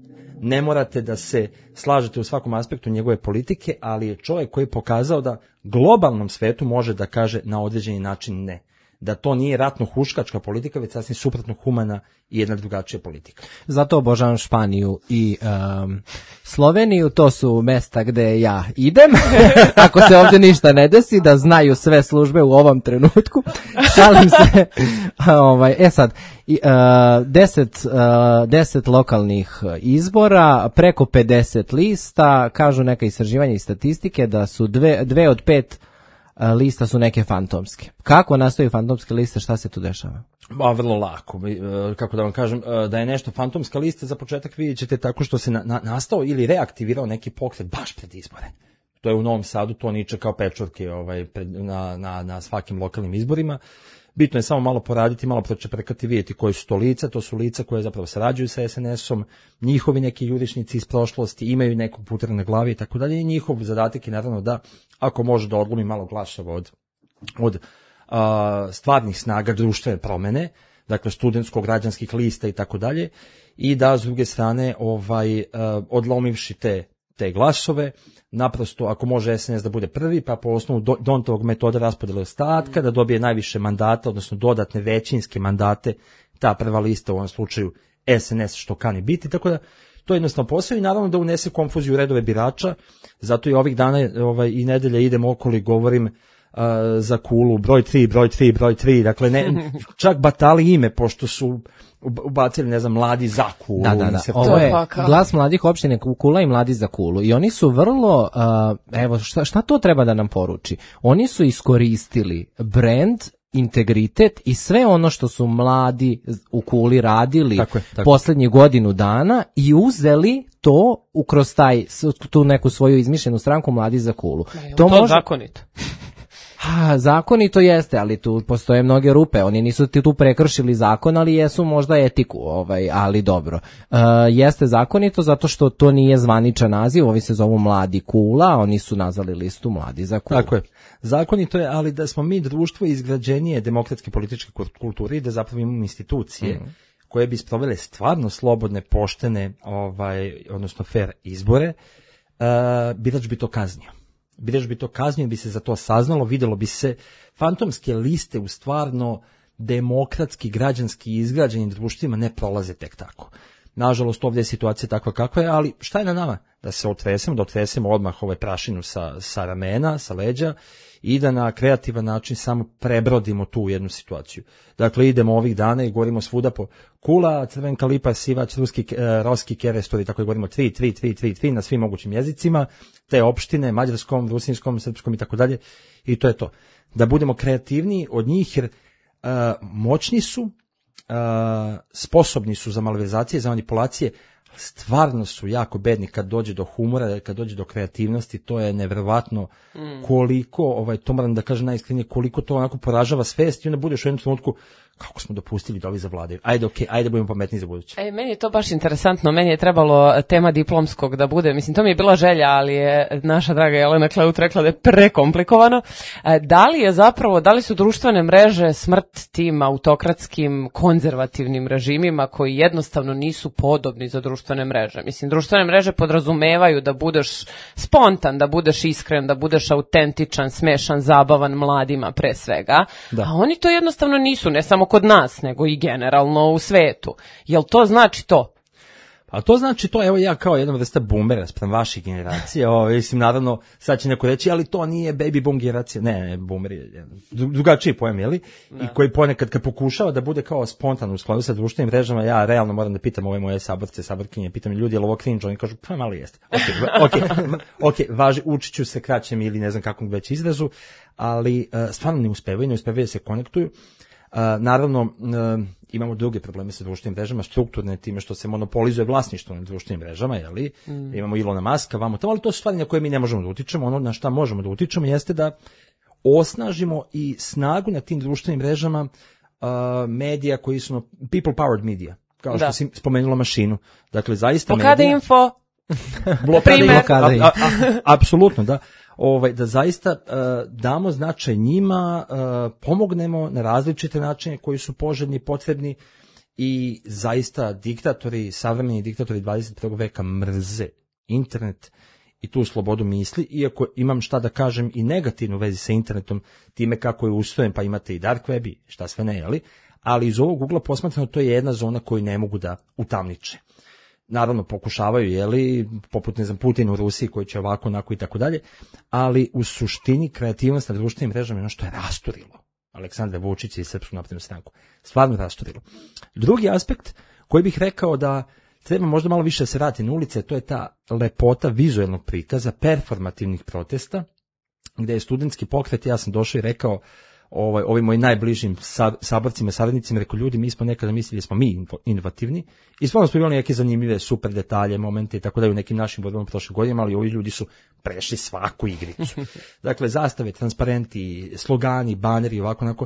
ne morate da se slažete u svakom aspektu njegove politike, ali je čovjek koji je pokazao da globalnom svetu može da kaže na određeni način ne. Da to nije ratno-huškačka politika, već sasvim suprotno humana i jedna drugačija politika. Zato obožavam Španiju i um, Sloveniju, to su mesta gde ja idem, ako se ovdje ništa ne desi, da znaju sve službe u ovom trenutku. Šalim se. ovaj, e sad, uh, deset, uh, deset lokalnih izbora, preko pedeset lista, kažu neka istraživanja i statistike da su dve, dve od pet lista su neke fantomske. Kako nastaju fantomske liste, šta se tu dešava? Ba, vrlo lako. Kako da vam kažem, da je nešto fantomska lista, za početak vidjet ćete tako što se na, na, nastao ili reaktivirao neki pokret baš pred izbore. To je u Novom Sadu, to niče kao pečurke ovaj, pred, na, na, na svakim lokalnim izborima. Bitno je samo malo poraditi, malo pročeprekati, vidjeti koji su to lica, to su lica koje zapravo sarađuju sa es en esom, njihovi neki jurišnici iz prošlosti, imaju nekog putera na glavi i tako dalje, i njihov zadatak je naravno da, ako može da odlomi malo glasova od, od a, stvarnih snaga društvene promene, dakle studentsko-građanskih lista i tako dalje, i da s druge strane ovaj, a, odlomivši te te glasove, naprosto ako može es en es da bude prvi, pa po osnovu do, Dontovog metoda raspodjele ostatka, da dobije najviše mandata, odnosno dodatne većinske mandate, ta prva lista u ovom slučaju es en es što kani biti, tako da to je jednostavno posao i naravno da unese konfuziju u redove birača, zato i ovih dana ovaj, i nedelje idem okolo i govorim uh, za Kulu, broj tri, broj tri, broj tri, dakle ne, čak batali ime, pošto su ubacili, ne znam, mladi za Kulu. Da, da, da. Ovo je glas mladih opštine Kula i mladi za Kulu. I oni su vrlo, uh, evo, šta, šta to treba da nam poruči? Oni su iskoristili brand, integritet i sve ono što su mladi u Kuli radili tako je, tako. Poslednjih godinu dana i uzeli to kroz taj, tu neku svoju izmišljenu stranku Mladi za Kulu. Je to može... zakonito? Ha, zakonito jeste, ali tu postoje mnoge rupe. Oni nisu ti tu prekršili zakon, ali jesu možda etiku, ovaj, ali dobro. E, jeste zakonito zato što to nije zvaničan naziv, ovi se zovu Mladi Kula, oni su nazvali listu Mladi za Kulu. Tako je. Zakonito je, ali da smo mi društvo izgrađenije demokratske političke kulture i da zapravo imamo institucije mm. koje bi sprovele stvarno slobodne, poštene, ovaj, odnosno fair izbore, uh, birač bi to kaznio. Birač bi to kaznio, bi se za to saznalo, videlo bi se fantomske liste u stvarno demokratski, građanski izgrađenim društvima ne prolaze tek tako. Nažalost, ovdje je situacija takva kakva je, ali šta je na nama? Da se otresemo, da otresemo odmah ovaj prašinu sa, sa ramena, sa leđa i da na kreativan način samo prebrodimo tu jednu situaciju. Dakle, idemo ovih dana i govorimo svuda po Kula, Crvenka Lipa, Sivač, Ruski, eh, Roski, Kerestor i tako je govorimo tri, tri, tri, tri, tri na svim mogućim jezicima, te opštine, mađarskom, rusinskom, srpskom i tako dalje. I to je to. Da budemo kreativniji od njih jer eh, moćni su, Uh, sposobni su za malverzacije, za manipulacije, stvarno su jako bedni kad dođe do humora, kad dođe do kreativnosti, to je neverovatno mm. koliko, ovaj, to moram da kažem najiskrenije, koliko to onako poražava svest i onda budeš u jednom trenutku, kako smo dopustili da ovi zavladaju. Ajde, okej, okay, ajde budemo pametni za buduće. E, meni je to baš interesantno, meni je trebalo tema diplomskog da bude, mislim, to mi je bila želja, ali je naša draga Jelena Kleut rekla da je prekomplikovano. E, da li je zapravo, da li su društvene mreže smrt tim autokratskim, konzervativnim režimima koji jednostavno nisu podobni za društvene mreže? Mislim, društvene mreže podrazumevaju da budeš spontan, da budeš iskren, da budeš autentičan, smešan, zabavan mladima pre svega, da. A oni to jednostavno nisu, ne samo kod nas, nego i generalno u svetu. Jel to znači to? Pa to znači to, evo ja kao jedna vrsta boomera sprem vaših generacija, ovo, mislim, naravno, sad će neko reći, ali to nije baby boom generacija, ne, ne, boomer je drugačiji pojem, jeli? I koji ponekad kad pokušava da bude kao spontan u skladu sa društvenim mrežama, ja realno moram da pitam ove moje saborce, saborkinje, pitam ljudi, je li ovo cringe, oni kažu, pa malo jeste. Ok, ok, ok, važi, učit ću se kraćem ili ne znam kakvom već izrazu, ali uh, stvarno ne uspevaju, ne uspevaju da se konektuju. Uh, naravno, uh, imamo druge probleme sa društvenim mrežama, strukturne time što se monopolizuje vlasništvo na društvenim mrežama, jeli? Mm. Imamo Ilona Maska, vamo tamo, ali to su stvari na koje mi ne možemo da utičemo. Ono na šta možemo da utičemo jeste da osnažimo i snagu na tim društvenim mrežama uh, medija koji su people powered media, kao što da. Si spomenula mašinu. Dakle, zaista medija... Blokada info, blokada info. Apsolutno, da. Ovaj, da zaista uh, damo značaj njima, uh, pomognemo na različite načine koji su poželjni, potrebni i zaista diktatori, savremeni diktatori dvadeset prvog veka mrze internet i tu slobodu misli, iako imam šta da kažem i negativno u vezi sa internetom, time kako je ustrojen, pa imate i dark web i šta sve ne, jeli? Ali iz ovog ugla posmatrano to je jedna zona koju ne mogu da utamniče. Naravno pokušavaju, jeli, poput ne znam Putin u Rusiji koji će ovako, onako i tako dalje, ali u suštini kreativnost na društvenim mrežama je ono što je rasturilo Aleksandra Vučića i Srpsku naprednu stranku. Stvarno rasturilo. Drugi aspekt koji bih rekao da treba možda malo više se vrati na ulice, to je ta lepota vizuelnog prikaza, performativnih protesta, gde je studentski pokret, ja sam došao i rekao ovaj, ovim mojim najbližim saborcima, saradnicima, rekao ljudi, mi smo nekada mislili da smo mi inovativni i stvarno smo imali neke zanimljive super detalje, momente i tako da u nekim našim borbama prošle godine, ali ovi ljudi su prešli svaku igricu. Dakle, zastave, transparenti, slogani, baneri, ovako, onako.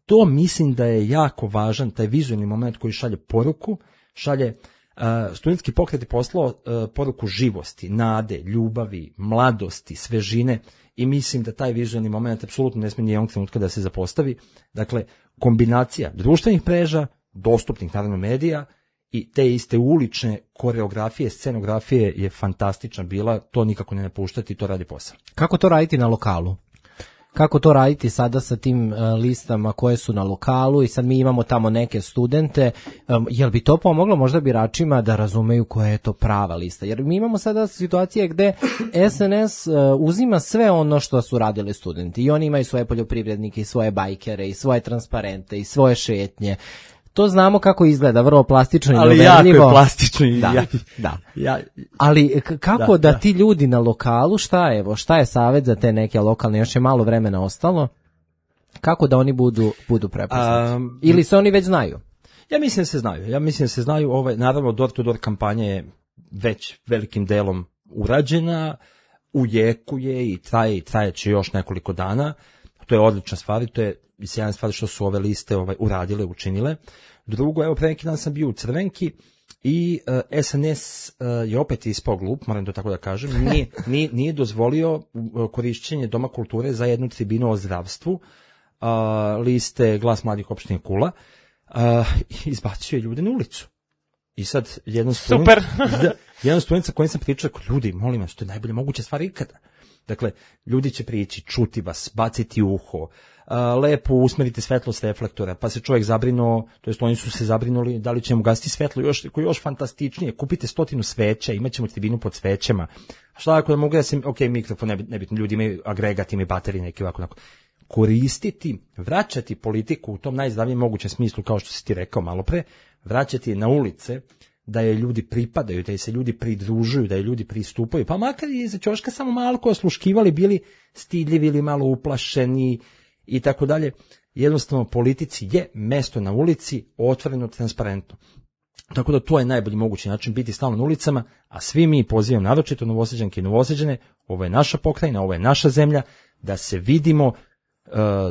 To mislim da je jako važan, taj vizualni moment koji šalje poruku, šalje Uh, studentski pokret je poslao uh, poruku živosti, nade, ljubavi, mladosti, svežine i mislim da taj vizualni moment apsolutno ne smije nijednog trenutka da se zapostavi. Dakle, kombinacija društvenih mreža, dostupnih naravno medija i te iste ulične koreografije, scenografije je fantastična bila, to nikako ne napuštati, to radi posao. Kako to raditi na lokalu? Kako to raditi sada sa tim uh, listama koje su na lokalu i sad mi imamo tamo neke studente, um, jel bi to pomoglo možda biračima da razumeju koja je to prava lista? Jer mi imamo sada situacije gde S N S uh, uzima sve ono što su radili studenti i oni imaju svoje poljoprivrednike i svoje bajkere i svoje transparente i svoje šetnje. To znamo kako izgleda, vrlo plastično i uverljivo. Ali jako je plastično i da, ja, da. Ja, ali kako da, da, da ti ljudi na lokalu, šta evo, šta je savjet za te neke lokalne, još je malo vremena ostalo, kako da oni budu, budu prepoznati? Um, Ili se oni već znaju? Ja mislim da se znaju, ja mislim da se znaju, ovaj, naravno door to door kampanja je već velikim delom urađena, u jeku je i traje i trajeće još nekoliko dana, to je odlična stvar i to je sjajna stvar što su ove liste ovaj, uradile, učinile. Drugo, evo pre neki dan sam bio u Crvenki i uh, S N S uh, je opet ispao glup, moram to tako da kažem, nije, nije, nije dozvolio uh, korišćenje Doma kulture za jednu tribinu o zdravstvu, uh, liste Glas mladih opštine Kula, uh, izbacio je ljude na ulicu. I sad jedan student, Super. da, jedan student sa kojim sam pričao, ljudi, molim vas, to je najbolje moguća stvar ikada. Dakle, ljudi će prići, čuti vas, baciti uho, uh, lepo usmerite svetlost reflektora, pa se čovjek zabrinuo, to jest oni su se zabrinuli da li ćemo gasiti svetlo, još, koji još fantastičnije, kupite stotinu sveća, imat ćemo tribinu pod svećama. Šta ako da mogu da se, ok, mikrofon, nebitno, ljudi imaju agregat, imaju baterije, neki ovako, onako. Koristiti, vraćati politiku u tom najzdravijem mogućem smislu, kao što si ti rekao malo pre, vraćati je na ulice, da je ljudi pripadaju, da je se ljudi pridružuju, da je ljudi pristupaju, pa makar i za ćoška samo malo ko osluškivali, bili stidljivi ili malo uplašeni i tako dalje. Jednostavno politici je mesto na ulici, otvoreno, transparentno. Tako da to je najbolji mogući način, biti stalno na ulicama, a svi mi pozivamo naročito Novosađanke i Novosađane, ovo je naša pokrajina, ovo je naša zemlja, da se vidimo uh,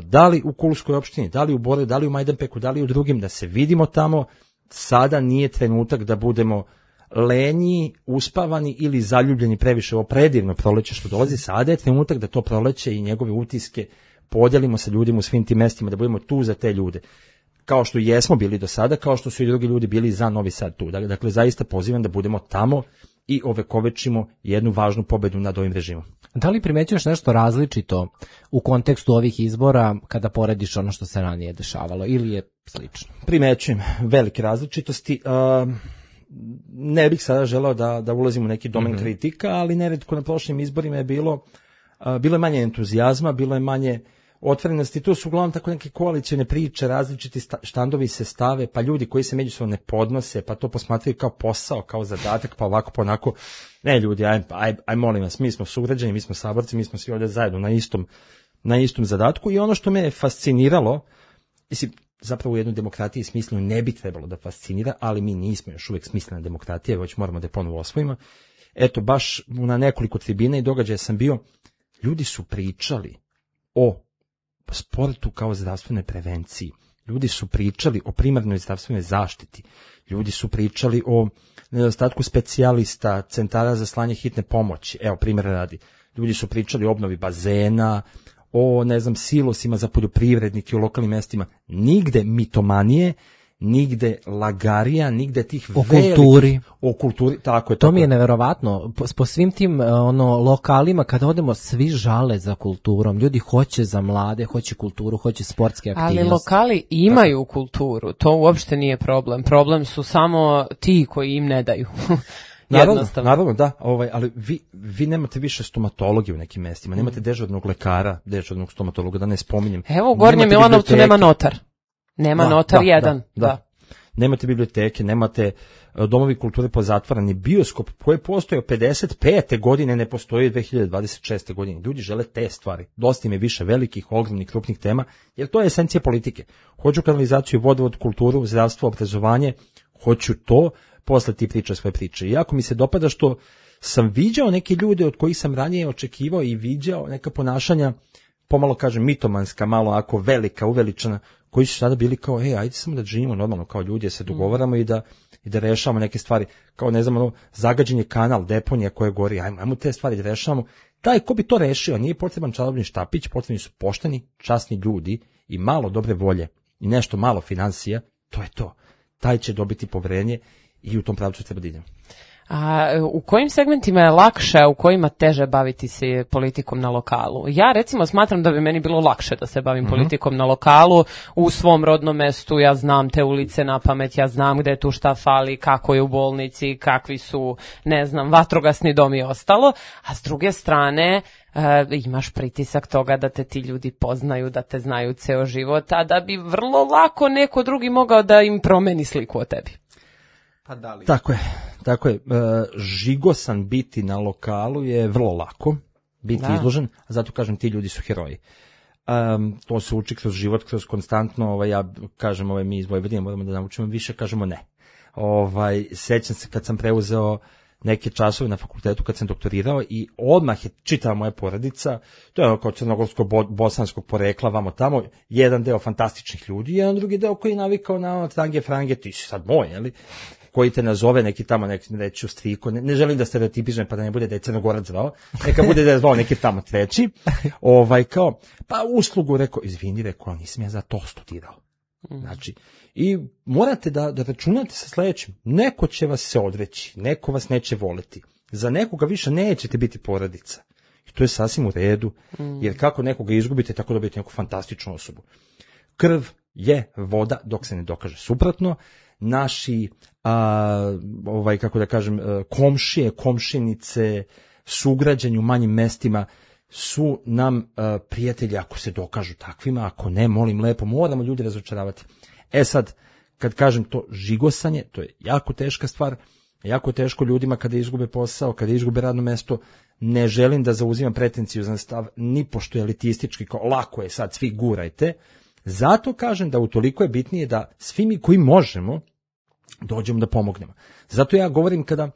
da li u Kulskoj opštini, da li u Boru, da li u Majdanpeku, da li u drugim, da se vidimo tamo. Sada nije trenutak da budemo lenji, uspavani ili zaljubljeni previše. Ovo predivno proleće što dolazi, sada je trenutak da to proleće i njegove utiske podelimo sa ljudima u svim tim mestima, da budemo tu za te ljude. Kao što jesmo bili do sada, kao što su i drugi ljudi bili za Novi Sad tu. Dakle, zaista pozivam da budemo tamo i ovekovečimo jednu važnu pobedu nad ovim režimom. Da li primećuješ nešto različito u kontekstu ovih izbora kada porediš ono što se ranije dešavalo ili je slično? Primećujem velike različitosti. Uh, ne bih sada želeo da, da ulazim u neki domen mm-hmm. kritika, ali neretko na prošlim izborima je bilo, uh, bilo je manje entuzijazma, bilo je manje otvorenosti. Tu su uglavnom tako neke koalicijne priče, različiti štandovi se stave, pa ljudi koji se međusobno ne podnose, pa to posmatraju kao posao, kao zadatak, pa ovako, pa onako. Ne ljudi, aj, aj, aj molim vas, mi smo sugrađani, mi smo saborci, mi smo svi ovdje zajedno na istom, na istom zadatku i ono što me je fasciniralo, mislim, zapravo u jednoj demokratiji smisleno ne bi trebalo da fascinira, ali mi nismo još uvijek smislena demokratija, već moramo da je ponovo osvojimo. Eto, baš na nekoliko tribina i događaja sam bio, ljudi su pričali o sportu kao zdravstvenoj prevenciji. Ljudi su pričali o primarnoj zdravstvenoj zaštiti. Ljudi su pričali o nedostatku specijalista, centara za slanje hitne pomoći. Evo, primjer radi. Ljudi su pričali o obnovi bazena, o, ne znam, silosima za poljoprivrednike u lokalnim mestima. Nigde mitomanije, nigde lagarija, nigde tih o velikih... kulturi. O kulturi, tako je. To tako mi je neverovatno. Po, po svim tim ono, lokalima, kada odemo, svi žale za kulturom. Ljudi hoće za mlade, hoće kulturu, hoće sportske aktivnosti. Ali lokali imaju tako kulturu, to uopšte nije problem. Problem su samo ti koji im ne daju. Naravno, naravno, da, ovaj, ali vi, vi nemate više stomatologije u nekim mestima, nemate Mm. dežurnog lekara, dežurnog stomatologa, da ne spominjem. Evo, u Gornjem Nemate Milanovcu biblioteke. nema notar. Nema Da, notar da, jedan. da, Da, da. Nemate biblioteke, nemate e, domovi kulture pozatvarani, bioskop koji je postojao pedeset pete godine ne postoji dve hiljade dvadeset šeste godine. Ljudi žele te stvari. Dosta im je više velikih, ogromnih, krupnih tema, jer to je esencija politike. Hoću kanalizaciju, vodovod, kulturu, zdravstvo, obrazovanje, hoću to, posle ti priča svoje priče. I jako mi se dopada što sam viđao neke ljude od kojih sam ranije očekivao i viđao neka ponašanja, pomalo kažem mitomanska, malo ako velika, uveličana, koji su sada bili kao, ej, ajde samo da živimo normalno kao ljudi, da se dogovaramo i da i da rešavamo neke stvari, kao ne znam, ono, zagađen je kanal, deponija koja gori, ajmo, ajmo te stvari da rešavamo. Taj ko bi to rešio, nije potreban čarobni štapić, potrebni su pošteni, časni ljudi i malo dobre volje i nešto malo financija, to je to. Taj će dobiti poverenje i u tom pravcu treba da idem. A u kojim segmentima je lakše, a u kojima teže baviti se politikom na lokalu? Ja recimo smatram da bi meni bilo lakše da se bavim mm-hmm. politikom na lokalu, u svom rodnom mestu, ja znam te ulice na pamet, ja znam gde tu šta fali, kako je u bolnici, kakvi su, ne znam, vatrogasni dom i ostalo, a s druge strane e, imaš pritisak toga da te ti ljudi poznaju, da te znaju ceo život, a da bi vrlo lako neko drugi mogao da im promeni sliku o tebi. Pa da li? Tako je, tako je. E, žigosan biti na lokalu je vrlo lako, biti Da. izložen, a zato kažem ti ljudi su heroji. Um, to se uči kroz život, kroz konstantno, ovaj, ja kažem, ovaj, mi iz Vojvodine moramo da naučimo više, kažemo ne. Ovaj, sećam se kad sam preuzeo neke časove na fakultetu kad sam doktorirao i odmah je čitava moja porodica, to je ono kao crnogorsko-bosanskog porekla, vamo tamo, jedan deo fantastičnih ljudi, jedan drugi deo koji je navikao na ono trange frange, ti si sad moj, jeli? Koji te nazove neki tamo, neki reći u striko, ne, ne želim da stereotipizujem pa da ne bude da je Crnogorac zvao, neka bude da je zvao neki tamo treći, ovaj kao, pa uslugu rekao, izvini, rekao, nisam ja za to studirao. Znači, i morate da, da računate sa sledećim, neko će vas se odreći, neko vas neće voleti, za nekoga više nećete biti porodica. I to je sasvim u redu, jer kako nekoga izgubite, tako dobijete neku fantastičnu osobu. Krv je voda dok se ne dokaže suprotno. Naši, a, ovaj, kako da kažem, komšije, komšinice, sugrađani u manjim mestima su nam a, prijatelji ako se dokažu takvima, ako ne, molim lepo, moramo ljudi razočaravati. E sad, kad kažem to žigosanje, to je jako teška stvar, jako je teško ljudima kada izgube posao, kada izgube radno mesto, ne želim da zauzimam pretenciozan stav, ni pošto je elitistički, kao lako je sad, svi gurajte, zato kažem da utoliko je bitnije da svi mi koji možemo dođemo da pomognemo. Zato ja govorim kada, uh,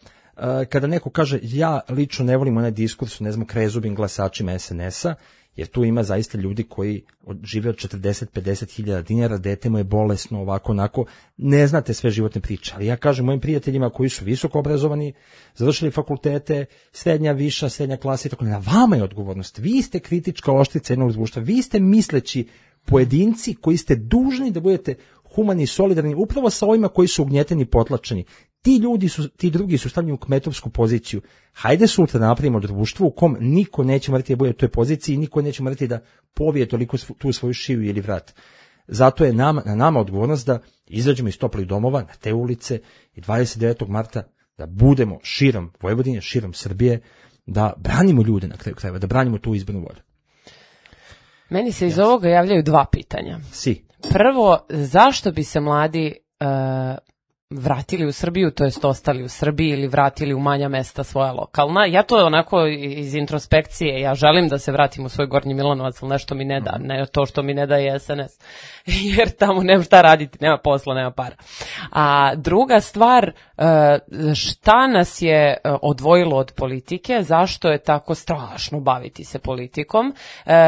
kada neko kaže ja lično ne volim onaj diskurs, ne znam, krezubim glasačima es en es a, jer tu ima zaista ljudi koji od, žive od četrdeset do pedeset hiljada dinara, dete mu je bolesno, ovako, onako, ne znate sve životne priče, ali ja kažem mojim prijateljima koji su visoko obrazovani, završili fakultete, srednja, viša, srednja klasa i tako, na vama je odgovornost, vi ste kritička oštrica jednog društva, vi ste misleći pojedinci koji ste dužni da budete humani i solidarni upravo sa ovima koji su ugnjeteni i potlačeni. Ti ljudi su, ti drugi su stavljeni u kmetovsku poziciju. Hajde sutra da napravimo društvo u kom niko neće morati da bude u toj poziciji i niko neće morati da povije toliko tu svoju šiju ili vrat. Zato je nama, na nama odgovornost da izađemo iz toplih domova na te ulice i dvadeset devetog marta da budemo širom Vojvodine, širom Srbije, da branimo ljude na kraju krajeva, da branimo tu izbornu volju. Meni se iz ovoga javljaju dva pitanja. Si. Prvo, zašto bi se mladi uh, vratili u Srbiju, to jest ostali u Srbiji ili vratili u manja mesta svoja lokalna? Ja to onako iz introspekcije, ja želim da se vratim u svoj Gornji Milanovac, ali nešto mi ne da, ne to što mi ne da je es en es, jer tamo nema šta raditi, nema posla, nema para. A druga stvar, šta nas je odvojilo od politike, zašto je tako strašno baviti se politikom?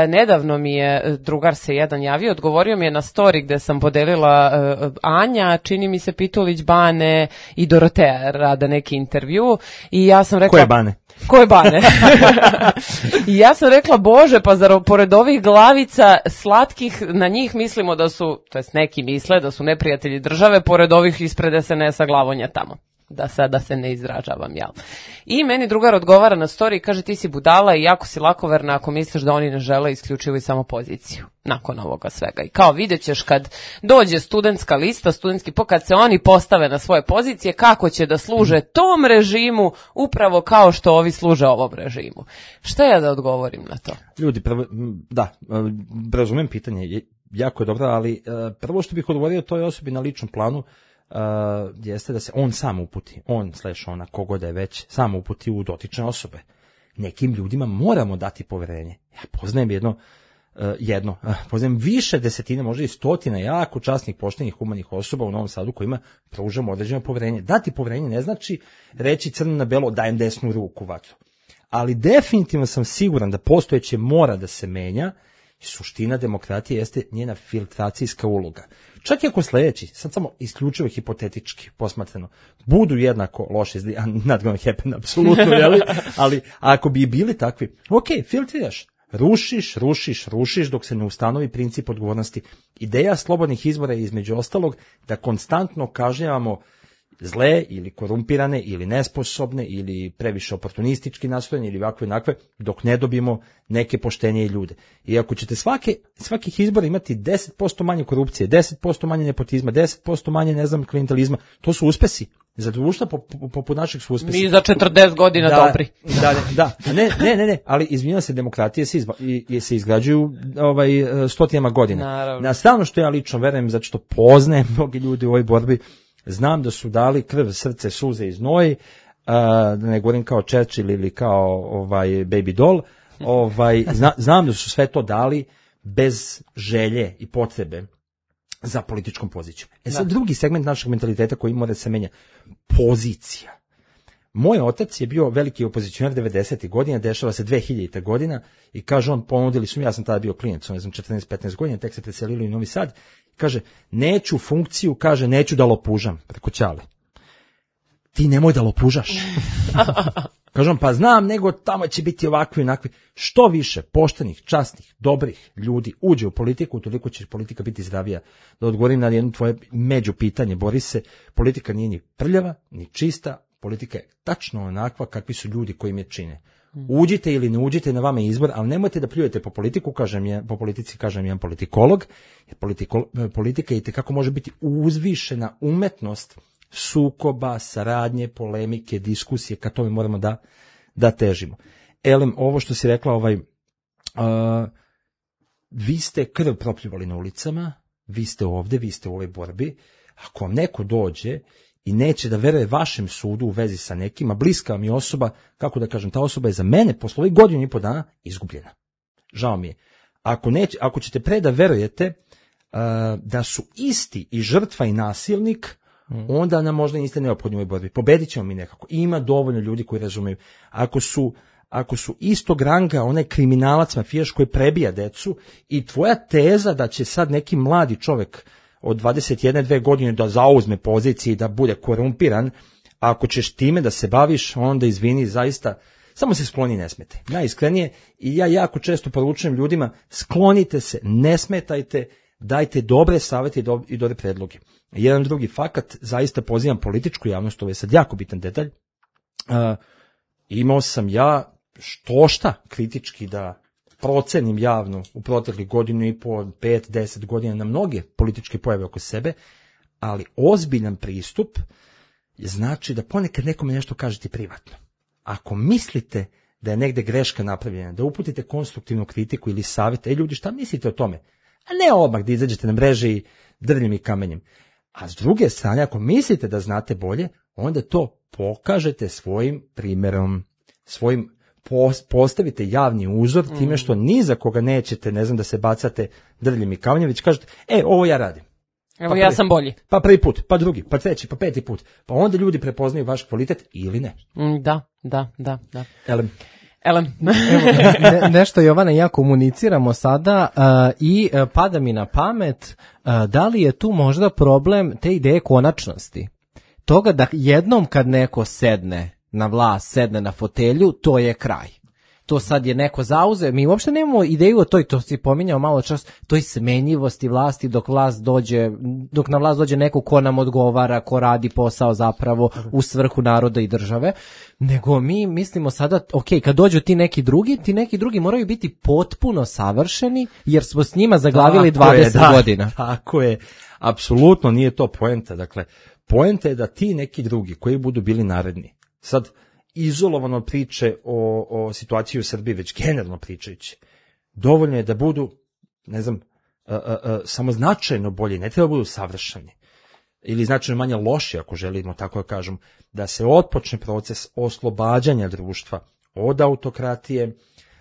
Nedavno mi je drugar se jedan javio, odgovorio mi je na story gde sam podelila Anja, čini mi se Pitulić Bane i Dorotea rade neki intervju i ja sam rekla... Koje Bane? Koje Bane? I ja sam rekla, Bože, pa zar pored ovih glavica slatkih, na njih mislimo da su, to jest neki misle da su neprijatelji države, pored ovih ispred es en esa glavonja tamo. Da sada se ne izražavam, jel? I meni drugar odgovara na story i kaže, ti si budala i jako si lakoverna ako misliš da oni ne žele isključivo i samo poziciju nakon ovoga svega. I kao vidjet ćeš kad dođe studentska lista, studentski po, kad se oni postave na svoje pozicije, kako će da služe tom režimu upravo kao što ovi služe ovom režimu. Šta ja da odgovorim na to? Ljudi, prvo, da, razumem pitanje, jako je dobro, ali prvo što bih odgovorio toj osobi na ličnom planu, Uh, jeste da se on sam uputi, on slash ona, kogo da je već, sam uputi u dotične osobe. Nekim ljudima moramo dati poverenje. Ja poznajem jedno, uh, jedno, uh, poznajem više desetine, možda i stotina jako časnih, poštenih, humanih osoba u Novom Sadu kojima pružamo određeno poverenje. Dati poverenje ne znači reći crno na belo dajem desnu ruku vatru. Ali definitivno sam siguran da postojeće mora da se menja. Suština demokratije jeste njena filtracijska uloga. Čak i ako sljedeći, sad samo isključivo hipotetički posmatrano, budu jednako loši, not gonna happen, apsolutno, jeli? Ali ako bi bili takvi, ok, filtriraš, rušiš, rušiš, rušiš dok se ne ustanovi princip odgovornosti. Ideja slobodnih izbora je između ostalog da konstantno kažnjavamo zle ili korumpirane ili nesposobne ili previše oportunistički nastrojene ili ovakve nakve dok ne dobijemo neke poštenije ljude. I ako ćete svake, svakih izbora imati deset posto manje korupcije, deset posto manje nepotizma, deset posto manje, ne znam, klijentelizma, to su uspesi. Za društva poput po, po naših su uspesi. Mi za četrdeset godina da, dobri. Da, da, ne, ne, ne, ne, ali izvinjam se, demokratije se, izba, i, se izgrađuju ovaj, stotinama godina. Naravno. Na stranu što ja lično verujem, zato što poznajem mnogi ljudi u ovoj borbi, znam da su dali krv, srce, suze i znoj, uh, da ne govorim kao Churchill ili kao ovaj Baby Doll, ovaj, zna, znam da su sve to dali bez želje i potrebe za političkom pozicijom. E sad, drugi segment našeg mentaliteta koji mora da se menja, pozicija. Moj otac je bio veliki opozicionar devedesetih godina, dešava se dve hiljadite godina i kaže on, ponudili su mi, ja sam tada bio klijent, ne znam, četrnaest petnaest godina, tek se preselili u Novi Sad, kaže, neću funkciju, kaže, neću da lopužam preko Ćale. Ti nemoj da lopužaš. Kažem, pa znam, nego tamo će biti ovakvi i onakvi. Što više poštenih, časnih, dobrih ljudi uđe u politiku, toliko će politika biti zdravija. Da odgovorim na jedno tvoje među pitanje, Borise, politika nije ni prljava, ni čista, politika je tačno onakva kakvi su ljudi koji im je čine. Uđite ili ne uđite, na vama je izbor, ali nemojte da pljujete po politiku, kažem je, po politici kažem jedan politikolog, jer politikol, politika i tekako može biti uzvišena umetnost sukoba, saradnje, polemike, diskusije, ka tome moramo da, da težimo. Elem, ovo što si rekla, ovaj, uh, vi ste krv propljuvali na ulicama, vi ste ovde, vi ste u ovoj borbi, ako vam neko dođe i neće da veruje vašem sudu u vezi sa nekima, bliska mi osoba, kako da kažem, ta osoba je za mene posle ovih godinu i po dana izgubljena. Žao mi je. Ako, neće, ako ćete pre da verujete uh, da su isti i žrtva i nasilnik, mm. onda nam možda niste neophodni u ovoj borbi. Pobedit ćemo mi nekako. Ima dovoljno ljudi koji razumeju. Ako su, ako su istog ranga onaj kriminalac, mafijaš koji prebija decu i tvoja teza da će sad neki mladi čovek od dvadeset jedne dve godine da zauzme pozicije i da bude korumpiran, ako ćeš time da se baviš, onda izvini, zaista, samo se skloni, ne smete. Najiskrenije, i ja jako često poručujem ljudima, sklonite se, ne smetajte, dajte dobre savete i dobre predloge. Jedan drugi fakat, zaista pozivam političku javnost, ovo je sad jako bitan detalj, uh, imao sam ja što šta kritički da procenim javno u proteklih godinu i po, pet, deset godina na mnoge političke pojave oko sebe, ali ozbiljan pristup znači da ponekad nekome nešto kažete privatno. Ako mislite da je negde greška napravljena, da uputite konstruktivnu kritiku ili savjet, ej ljudi, šta mislite o tome? A ne odmah da izađete na mreže i drvljem i kamenjem. A s druge strane, ako mislite da znate bolje, onda to pokažete svojim primjerom, svojim postavite javni uzor time što ni za koga nećete, ne znam, da se bacate drvljem i kamenjem, već kažete, e, ovo ja radim. Evo, pa ja prvi, sam bolji. Pa prvi put, pa drugi, pa treći, pa peti put. Pa onda ljudi prepoznaju vaš kvalitet ili ne. Mm, da, da, da, da. Elem. Elem. Evo, ne, nešto, Jovana, ja komuniciramo sada uh, i uh, pada mi na pamet, uh, da li je tu možda problem te ideje konačnosti? toga da jednom kad neko sedne na vlast, sedne na fotelju, to je kraj. To sad je neko zauze, mi uopšte nemamo ideju o toj, to si pominjao malo čas, toj smenjivosti vlasti dok vlast dođe, dok na vlast dođe neko ko nam odgovara, ko radi posao zapravo u svrhu naroda i države, nego mi mislimo sada, ok, kad dođu ti neki drugi, ti neki drugi moraju biti potpuno savršeni, jer smo s njima zaglavili tako dvadeset je, da, godina. Tako je, apsolutno nije to poenta, dakle, poenta je da ti neki drugi koji budu bili naredni, sad, izolovano priče o, o situaciji u Srbiji, već generalno pričajući. Dovoljno je da budu, ne znam, a, a, a, samo značajno bolji, ne treba budu savršeni. Ili značajno manje loši, ako želimo tako da kažem, da se otpočne proces oslobađanja društva od autokratije,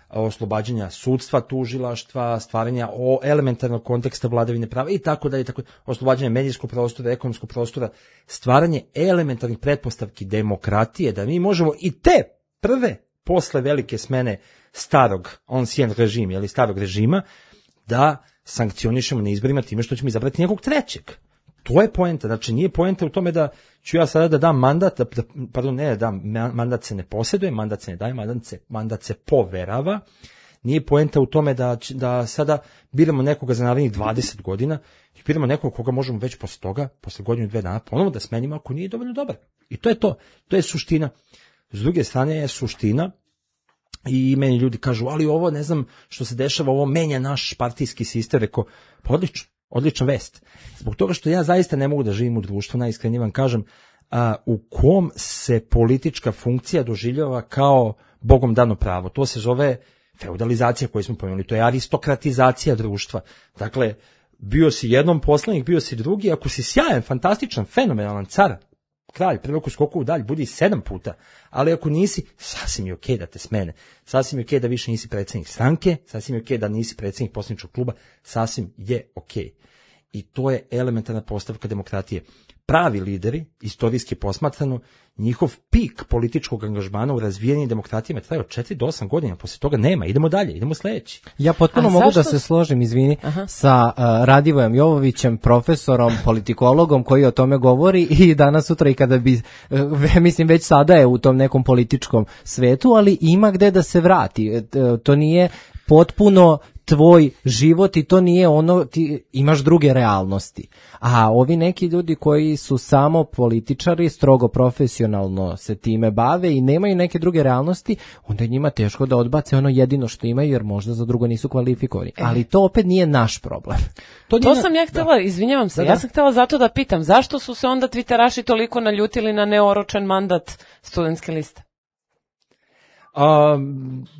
oslobađanja sudstva, tužilaštva, stvaranja o elementarnog konteksta vladavine prava i tako dalje, tako oslobađanja medijskog prostora, ekonomskog prostora, stvaranje elementarnih pretpostavki demokratije, da mi možemo i te prve posle velike smene starog ancien režima ili starog režima da sankcionišemo na izborima time što ćemo izabrati nekog trećeg. To je poenta, znači nije poenta u tome da ću ja sada da dam mandat, da, da, pardon, ne da dam, mandat se ne posjeduje, mandat se ne daje, mandat se, mandat se poverava, nije poenta u tome da, da sada biramo nekoga za narednih dvadeset godina i biramo nekoga koga možemo već posle toga, posle godinu dve dana ponovo da smenimo ako nije dovoljno dobar. I to je to, to je suština. S druge strane je suština i meni ljudi kažu, ali ovo ne znam što se dešava, ovo menja naš partijski sistem, rekao, pa odlično. Odlična vest. Zbog toga što ja zaista ne mogu da živim u društvu, najiskrenije vam kažem, a, u kom se politička funkcija doživljava kao bogom dano pravo. To se zove feudalizacija koju smo pomenuli, to je aristokratizacija društva. Dakle, bio si jednom poslanik, bio si drugi, ako si sjajan, fantastičan, fenomenalan car, kralj, priliku skoku u dalj, budi sedam puta, ali ako nisi, sasvim je okej okay da te smene, sasvim je okej okay da više nisi predsjednik stranke, sasvim je okej okay da nisi predsjednik poslaničkog kluba, sasvim je okej. Okay. I to je elementarna postavka demokratije. Pravi lideri, istorijski posmatrano, njihov pik političkog angažmana u razvijenim demokratijama traje od četiri do osam godina, posle toga nema, idemo dalje, idemo sledeći. Ja potpuno A mogu zašto? da se složim, izvini, Aha. sa uh, Radivojem Jovovićem, profesorom, politikologom koji o tome govori i danas sutra i kada bi, uh, mislim već sada je u tom nekom političkom svetu, ali ima gde da se vrati. Uh, to nije potpuno tvoj život i to nije ono, ti imaš druge realnosti. A ovi neki ljudi koji su samo političari, strogo profesionalno se time bave i nemaju neke druge realnosti, onda je njima teško da odbace ono jedino što imaju jer možda za drugo nisu kvalifikovani. E. Ali to opet nije naš problem. To, to sam ja htjela, da. izvinjavam se, da, da. ja sam htjela zato da pitam, zašto su se onda Twitteraši toliko naljutili na neoročen mandat studentske liste? A,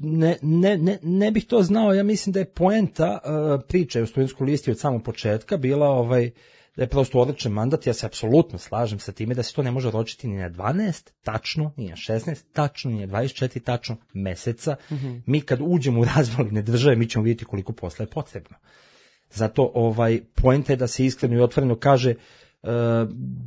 ne, ne, ne, ne bih to znao, ja mislim da je poenta uh, priče u studentskoj listi od samog početka bila ovaj, da je prosto odličan mandat, ja se apsolutno slažem sa time da se to ne može oročiti ni na dvanaest tačno, ni na šesnaest tačno, ni na dvadeset četiri tačno meseca. Mm-hmm. Mi kad uđemo u razvaline države, mi ćemo vidjeti koliko posla je potrebno. Zato ovaj, poenta je da se iskreno i otvoreno kaže, uh,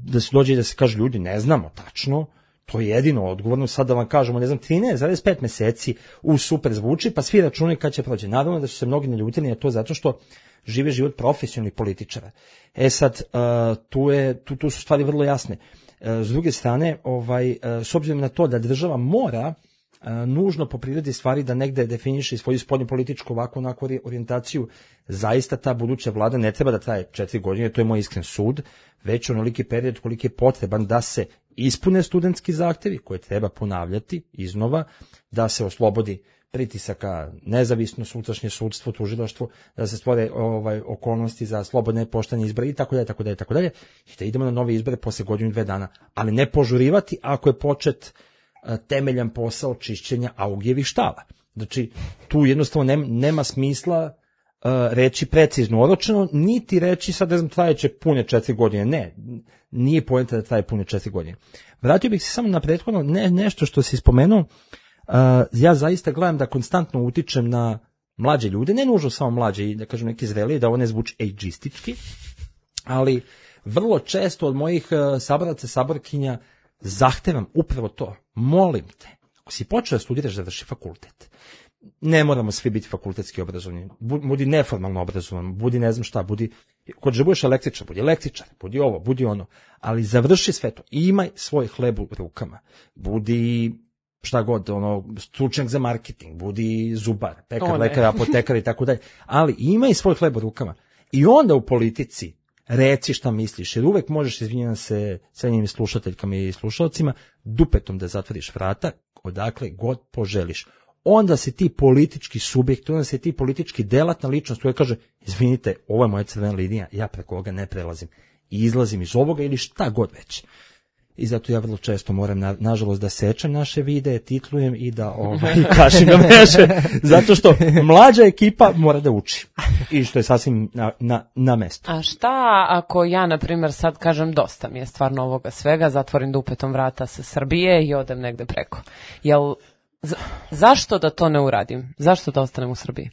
da se dođe i da se kaže ljudi, ne znamo tačno, to je jedino odgovorno, sad da vam kažemo, ne znam, trinaest zarez pet meseci u super zvuči, pa svi računaju kad će prođe. Naravno da su se mnogi naljutili na to zato što žive život profesionalnih političara. E sad, uh, tu, je, tu, tu su stvari vrlo jasne. Uh, s druge strane, ovaj, uh, s obzirom na to da država mora uh, nužno po prirodi stvari da negde definiše svoju spoljnu političku ovako onako orijentaciju, zaista ta buduća vlada ne treba da traje četiri godine, to je moj iskren sud, već onoliki period koliki je potreban da se ispune studentski zahtevi koje treba ponavljati iznova, da se oslobodi pritisaka nezavisno sutrašnje sudstvo, tužilaštvo, da se stvore ovaj, okolnosti za slobodne poštene izbore i tako dalje, tako dalje, tako dalje, i da idemo na nove izbore posle godinu i dve dana, ali ne požurivati ako je počet a, temeljan posao čišćenja augijevih štala. Znači, tu jednostavno nema, nema smisla Uh, reći precizno oročeno, niti reći sad, ne znam, trajeće pune četiri godine. Ne, nije poenta da traje pune četiri godine. Vratio bih se samo na prethodno ne, nešto što si spomenuo. Uh, ja zaista gledam da konstantno utičem na mlađe ljude, ne nužno samo mlađe, i da kažem neki zreliji, da ovo ne zvuči age'istički, ali vrlo često od mojih uh, saboraca, saborkinja zahtevam upravo to. Molim te, ako si počeo da studiraš, završi fakultet. ne moramo svi biti fakultetski obrazovani, budi neformalno obrazovan, budi ne znam šta, budi, kod že budeš električar, budi električar, budi ovo, budi ono, ali završi sve to, imaj svoj hleb u rukama, budi šta god, ono, stručnjak za marketing, budi zubar, pekar, lekar, apotekar i tako dalje, ali imaj svoj hleb u rukama i onda u politici reci šta misliš, jer uvek možeš, izvinjam se cenjenim slušateljkama i slušalcima, dupetom da zatvoriš vrata, odakle god poželiš. Onda si ti politički subjekt, onda si ti politički delatna ličnost koja kaže, izvinite, ovo je moja crvena linija, ja preko ovoga ne prelazim i izlazim iz ovoga ili šta god već. I zato ja vrlo često moram, na, nažalost, da sečem naše videe, titlujem i da ovaj, kašim na mreže, zato što mlađa ekipa mora da uči. I što je sasvim na, na, na mestu. A šta ako ja, na primjer, sad kažem dosta mi je stvarno ovoga svega, zatvorim dupetom vrata sa Srbije i odem negde preko? Jel, za, zašto da to ne uradim? Zašto da ostanem u Srbiji?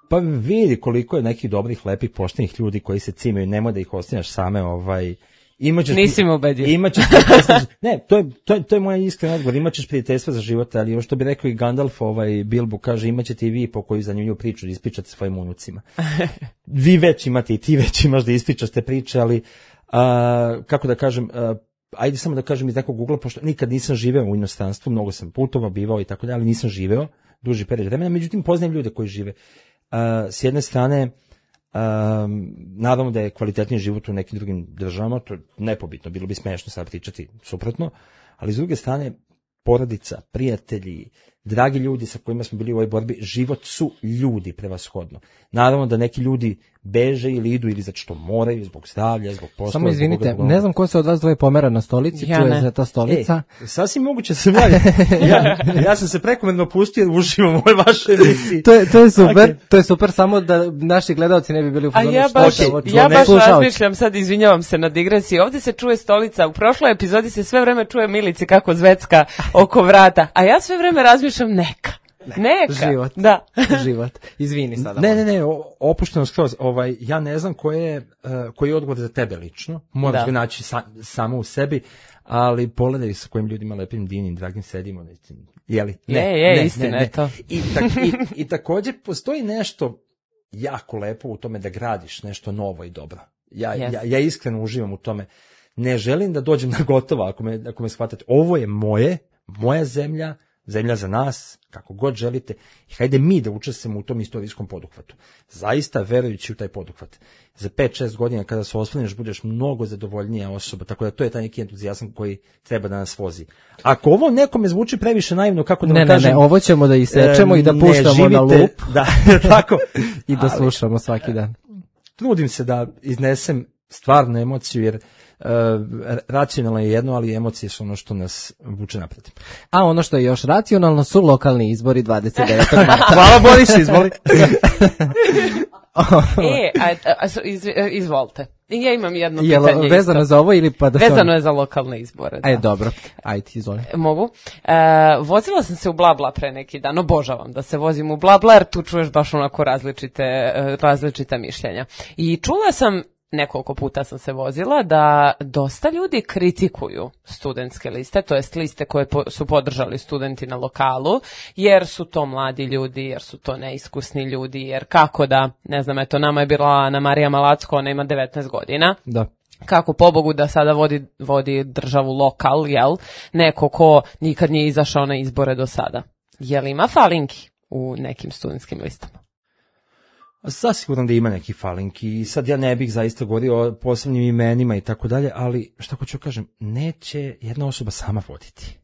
Pa vidi koliko je nekih dobrih, lepih, poštenih ljudi koji se cimaju, nemoj da ih ostavljaš same, ovaj... Imaćeš, nisi me ubedio. Imaćeš prijateljstvo, ne, to je, to je, to je moj iskren odgovor, imaćeš prijateljstva za život, ali ovo što bi rekao i Gandalf, ovaj, Bilbo kaže, imaćete i vi po koju zanimljivu priču da ispričate svojim unucima. Vi već imate i ti već imaš da ispričaš te priče, ali, a, kako da kažem, a, ajde samo da kažem iz nekog ugla, pošto nikad nisam živeo u inostranstvu, mnogo sam putovao, bivao i tako dalje, ali nisam živeo duži period vremena, međutim poznajem ljude koji žive. A, s jedne strane, Um, naravno da je kvalitetniji život u nekim drugim državama, to je nepobitno, bilo bi smešno sad pričati suprotno, ali s druge strane porodica, prijatelji, dragi ljudi sa kojima smo bili u ovoj borbi, život su ljudi prevashodno. Naravno da neki ljudi beže ili idu ili zato što moraju, zbog zdravlja, zbog posla. Samo izvinite, zbog... ne znam ko se od vas dvoje pomera na stolici, ja čuje se ta stolica. E, sasvim moguće sam ja, ja, ja sam se prekomerno pustio da uživam u ovoj vašoj emisiji. To je, to je super, okay. To je super, samo da naši gledalci ne bi bili u fazonu. A ja baš, okay. ja baš razmišljam, sad izvinjavam se na digresiji, ovdje se čuje stolica, u prošloj epizodi se sve vreme čuje Milici kako zvecka oko vrata, a ja sve vreme razmišljam neka. Ne, Neka. Život. Da. Život. Izvini sada. Ne, ne, ne, opušteno skroz. Ovaj, ja ne znam koji je, uh, koji je odgovor za tebe lično. Moraš ga naći sa, samo u sebi, ali pogledaj sa kojim ljudima lepim, divnim, dragim sedimo. Jeli? Ne, je, je, ne, istina ne, je to. I, tak, i, I također postoji nešto jako lepo u tome da gradiš nešto novo i dobro. Ja, yes. ja, ja iskreno uživam u tome. Ne želim da dođem na gotovo, ako me, ako me shvatate. Ovo je moje, moja zemlja, zemlja za nas, kako god želite, i hajde mi da učestvujemo u tom istorijskom poduhvatu. Zaista verujući u taj poduhvat. Za pet šest godina kada se osvrneš budeš mnogo zadovoljnija osoba, tako da to je taj neki entuzijazam koji treba da nas vozi. Ako ovo nekome zvuči previše naivno, kako da vam ne, kažem... Ne, ne, ovo ćemo da isečemo e, i da puštamo živite, na lup. Da, tako. I da slušamo svaki dan. Trudim se da iznesem stvarnu emociju, jer Uh, racionalno je jedno, ali emocije su ono što nas vuče napred. A ono što je još racionalno su lokalni izbori dvadeset devetog marta. Hvala Boris, izvoli. e, a, a, iz, izvolite. Ja imam jedno Jel, pitanje. Vezano isto. za ovo ili pa da Vezano je za lokalne izbore. Da. Aj, dobro. Ajde, izvoli. Mogu. E, vozila sam se u Blabla pre neki dan. Obožavam da se vozim u Blabla, jer tu čuješ baš onako različite, različita mišljenja. I čula sam, nekoliko puta sam se vozila, da dosta ljudi kritikuju studentske liste, to jest liste koje po, su podržali studenti na lokalu, jer su to mladi ljudi, jer su to neiskusni ljudi, jer kako da, ne znam, eto, nama je bila Ana Marija Malacko, ona ima devetnaest godina. Da. Kako pobogu da sada vodi, vodi državu lokal, jel? Neko ko nikad nije izašao na izbore do sada. Jel ima falinki u nekim studentskim listama? Zasigurno da ima neki falinki i sad ja ne bih zaista govorio o posebnim imenima i tako dalje, ali šta hoću kažem, neće jedna osoba sama voditi.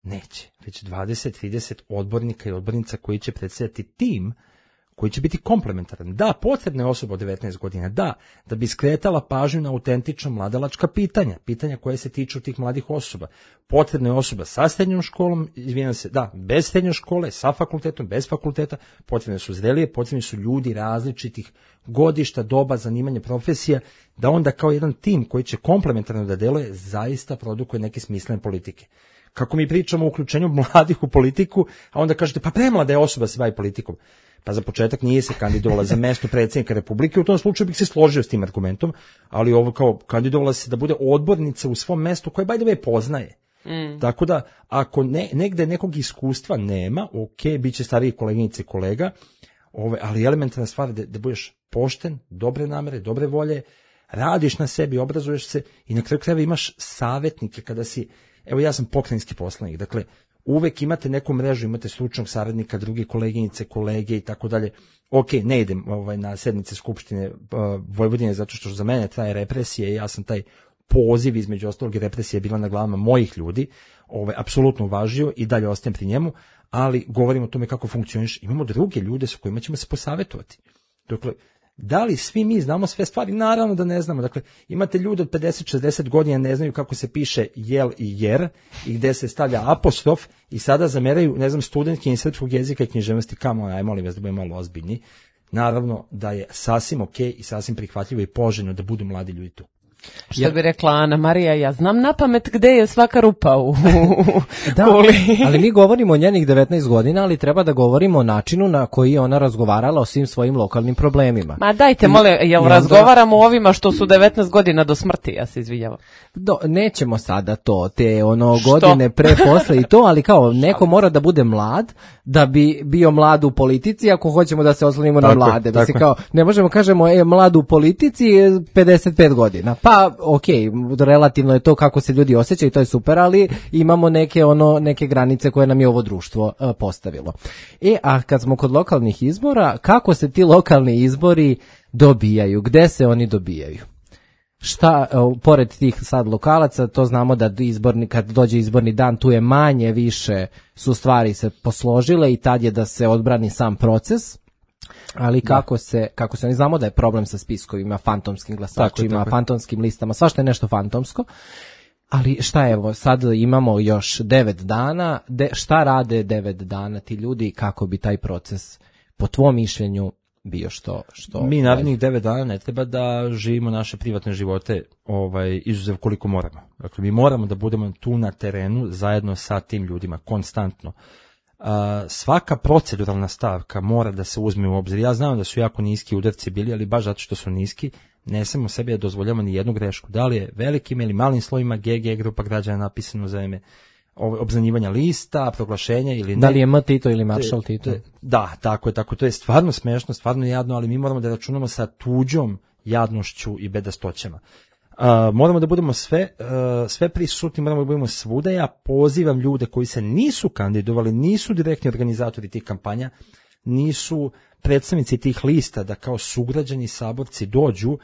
Neće. Već dvadeset trideset odbornika i odbornica koji će predstavljati tim koji će biti komplementaran. Da, potrebna je osoba od devetnaest godina, da, da bi skretala pažnju na autentična mladalačka pitanja, pitanja koje se tiču tih mladih osoba. Potrebna je osoba sa srednjom školom, izvinjam se, da, bez srednje škole, sa fakultetom, bez fakulteta, potrebne su zrelije, potrebni su ljudi različitih godišta, doba, zanimanja, profesija, da onda kao jedan tim koji će komplementarno da deluje, zaista produkuje neke smislene politike. Kako mi pričamo o uključenju mladih u politiku, a onda kažete, pa premlada je osoba se bavi politikom. Pa za početak nije se kandidovala za mesto predsjednika Republike, u tom slučaju bih se složio s tim argumentom, ali ovo kao kandidovala se da bude odbornica u svom mestu koje by the way poznaje. Mm. Tako da, ako ne, negde nekog iskustva nema, ok, bit će stariji koleginice i kolega, ove, ali elementarna stvar da, da budeš pošten, dobre namere, dobre volje, radiš na sebi, obrazuješ se i na kraju krajeva imaš savjetnike kada si, evo ja sam pokrajinski poslanik, dakle, uvek imate neku mrežu, imate stručnog saradnika, druge koleginice, kolege i tako dalje. Ok, ne idem ovaj, na sednice Skupštine uh, Vojvodine zato što za mene traje represija i ja sam taj poziv između ostalog i represija bila na glavama mojih ljudi, ovaj, apsolutno uvažio i dalje ostajem pri njemu, ali govorimo o tome kako funkcioniš. Imamo druge ljude sa kojima ćemo se posavetovati. Dakle, da li svi mi znamo sve stvari? Naravno da ne znamo. Dakle, imate ljude od pedeset šezdeset godina, ne znaju kako se piše jel i jer i gde se stavlja apostrof i sada zameraju, ne znam, studentkinje srpskog jezika i književnosti. Kamo, aj molim vas da budemo malo ozbiljni. Naravno da je sasvim ok i sasvim prihvatljivo i poželjno da budu mladi ljudi tu. Što Jer... bi rekla Ana Marija, ja znam na pamet gde je svaka rupa u da, ali mi govorimo o njenih devetnaest godina, ali treba da govorimo o načinu na koji je ona razgovarala o svim svojim lokalnim problemima. Ma dajte, mole, jel onda... razgovaramo o ovima što su devetnaest godina do smrti, ja se izvinjavam. Do, nećemo sada to, te ono godine pre, posle i to, ali kao neko mora da bude mlad, da bi bio mlad u politici, ako hoćemo da se oslonimo na mlade. Mislim, kao, ne možemo kažemo, e, mlad u politici je pedeset pet godina. Pa, ok, relativno je to kako se ljudi osjećaju, to je super, ali imamo neke ono neke granice koje nam je ovo društvo uh, postavilo. E, a kad smo kod lokalnih izbora, kako se ti lokalni izbori dobijaju? Gde se oni dobijaju? Šta, uh, pored tih sad lokalaca, to znamo da izborni, kad dođe izborni dan, tu je manje više su stvari se posložile i tad je da se odbrani sam proces. Ali kako da. se, kako se, oni znamo da je problem sa spiskovima, fantomskim glasačima, tako, tako. fantomskim listama, svašta je nešto fantomsko. Ali šta evo, sad imamo još devet dana, de, šta rade devet dana ti ljudi i kako bi taj proces, po tvom mišljenju, bio što... što Mi narednih devet dana ne treba da živimo naše privatne živote ovaj, izuzev koliko moramo. Dakle, mi moramo da budemo tu na terenu zajedno sa tim ljudima, konstantno. Uh, svaka proceduralna stavka mora da se uzme u obzir. Ja znam da su jako niski udarci bili, ali baš zato što su niski, ne smemo sebi da dozvoljamo ni jednu grešku. Da li je velikim ili malim slovima G G grupa građana napisano za ime obznanjivanja lista, proglašenja ili ne. Da li je M Tito ili Maršal Tito? Da, tako je, tako. To je stvarno smešno, stvarno jadno, ali mi moramo da računamo sa tuđom jadnošću i bedastoćama. Uh, moramo da budemo sve, uh, sve prisutni, moramo da budemo svuda. Ja pozivam ljude koji se nisu kandidovali, nisu direktni organizatori tih kampanja, nisu predstavnici tih lista da kao sugrađani saborci dođu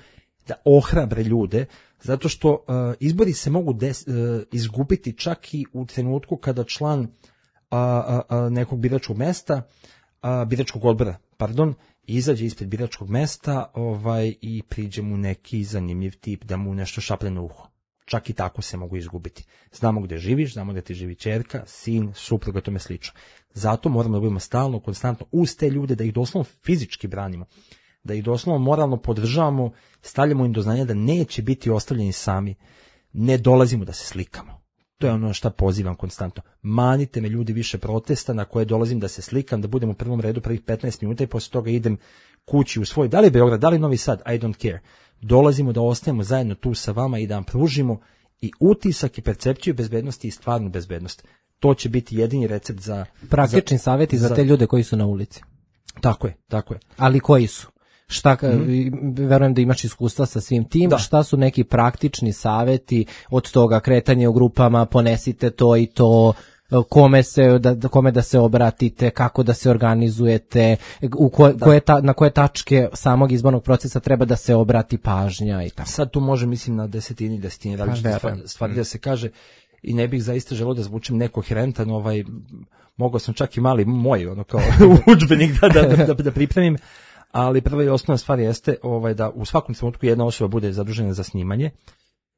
da ohrabre ljude, zato što uh, izbori se mogu des, uh, izgubiti čak i u trenutku kada član uh, uh, uh, nekog biračkog mesta, uh, biračkog odbora, pardon, izađe ispred biračkog mesta ovaj, i priđe mu neki zanimljiv tip da mu nešto šaplje na uho. Čak i tako se mogu izgubiti. Znamo gde živiš, znamo gde ti živi ćerka, sin, supruga, tome slično. Zato moramo da budemo stalno, konstantno uz te ljude, da ih doslovno fizički branimo, da ih doslovno moralno podržavamo, stavljamo im do znanja da neće biti ostavljeni sami, ne dolazimo da se slikamo. To je ono što pozivam konstantno. Manite me ljudi više protesta na koje dolazim da se slikam, da budem u prvom redu prvih petnaest minuta i posle toga idem kući u svoj, da li Beograd, da li Novi Sad, I don't care. Dolazimo da ostajemo zajedno tu sa vama i da vam pružimo i utisak i percepciju bezbednosti i stvarnu bezbednost. To će biti jedini recept za... Praktični za, savjeti za, za te ljude koji su na ulici. Tako je, tako je. Ali koji su? Šta, mm-hmm. verujem da imaš iskustva sa svim tim, da. Šta su neki praktični savjeti od toga kretanje u grupama, ponesite to i to, kome se, da, kome da se obratite, kako da se organizujete, u ko, da. koje ta, na koje tačke samog izbornog procesa treba da se obrati pažnja i tako. Sad tu može, mislim, na desetini, desetini različite stvari, stvari da se kaže i ne bih zaista želeo da zvučim nekoherentan, ovaj, mogao sam čak i mali moj, ono kao udžbenik da, da, da, da pripremim. Ali prva i osnovna stvar jeste ovaj, da u svakom trenutku jedna osoba bude zadužena za snimanje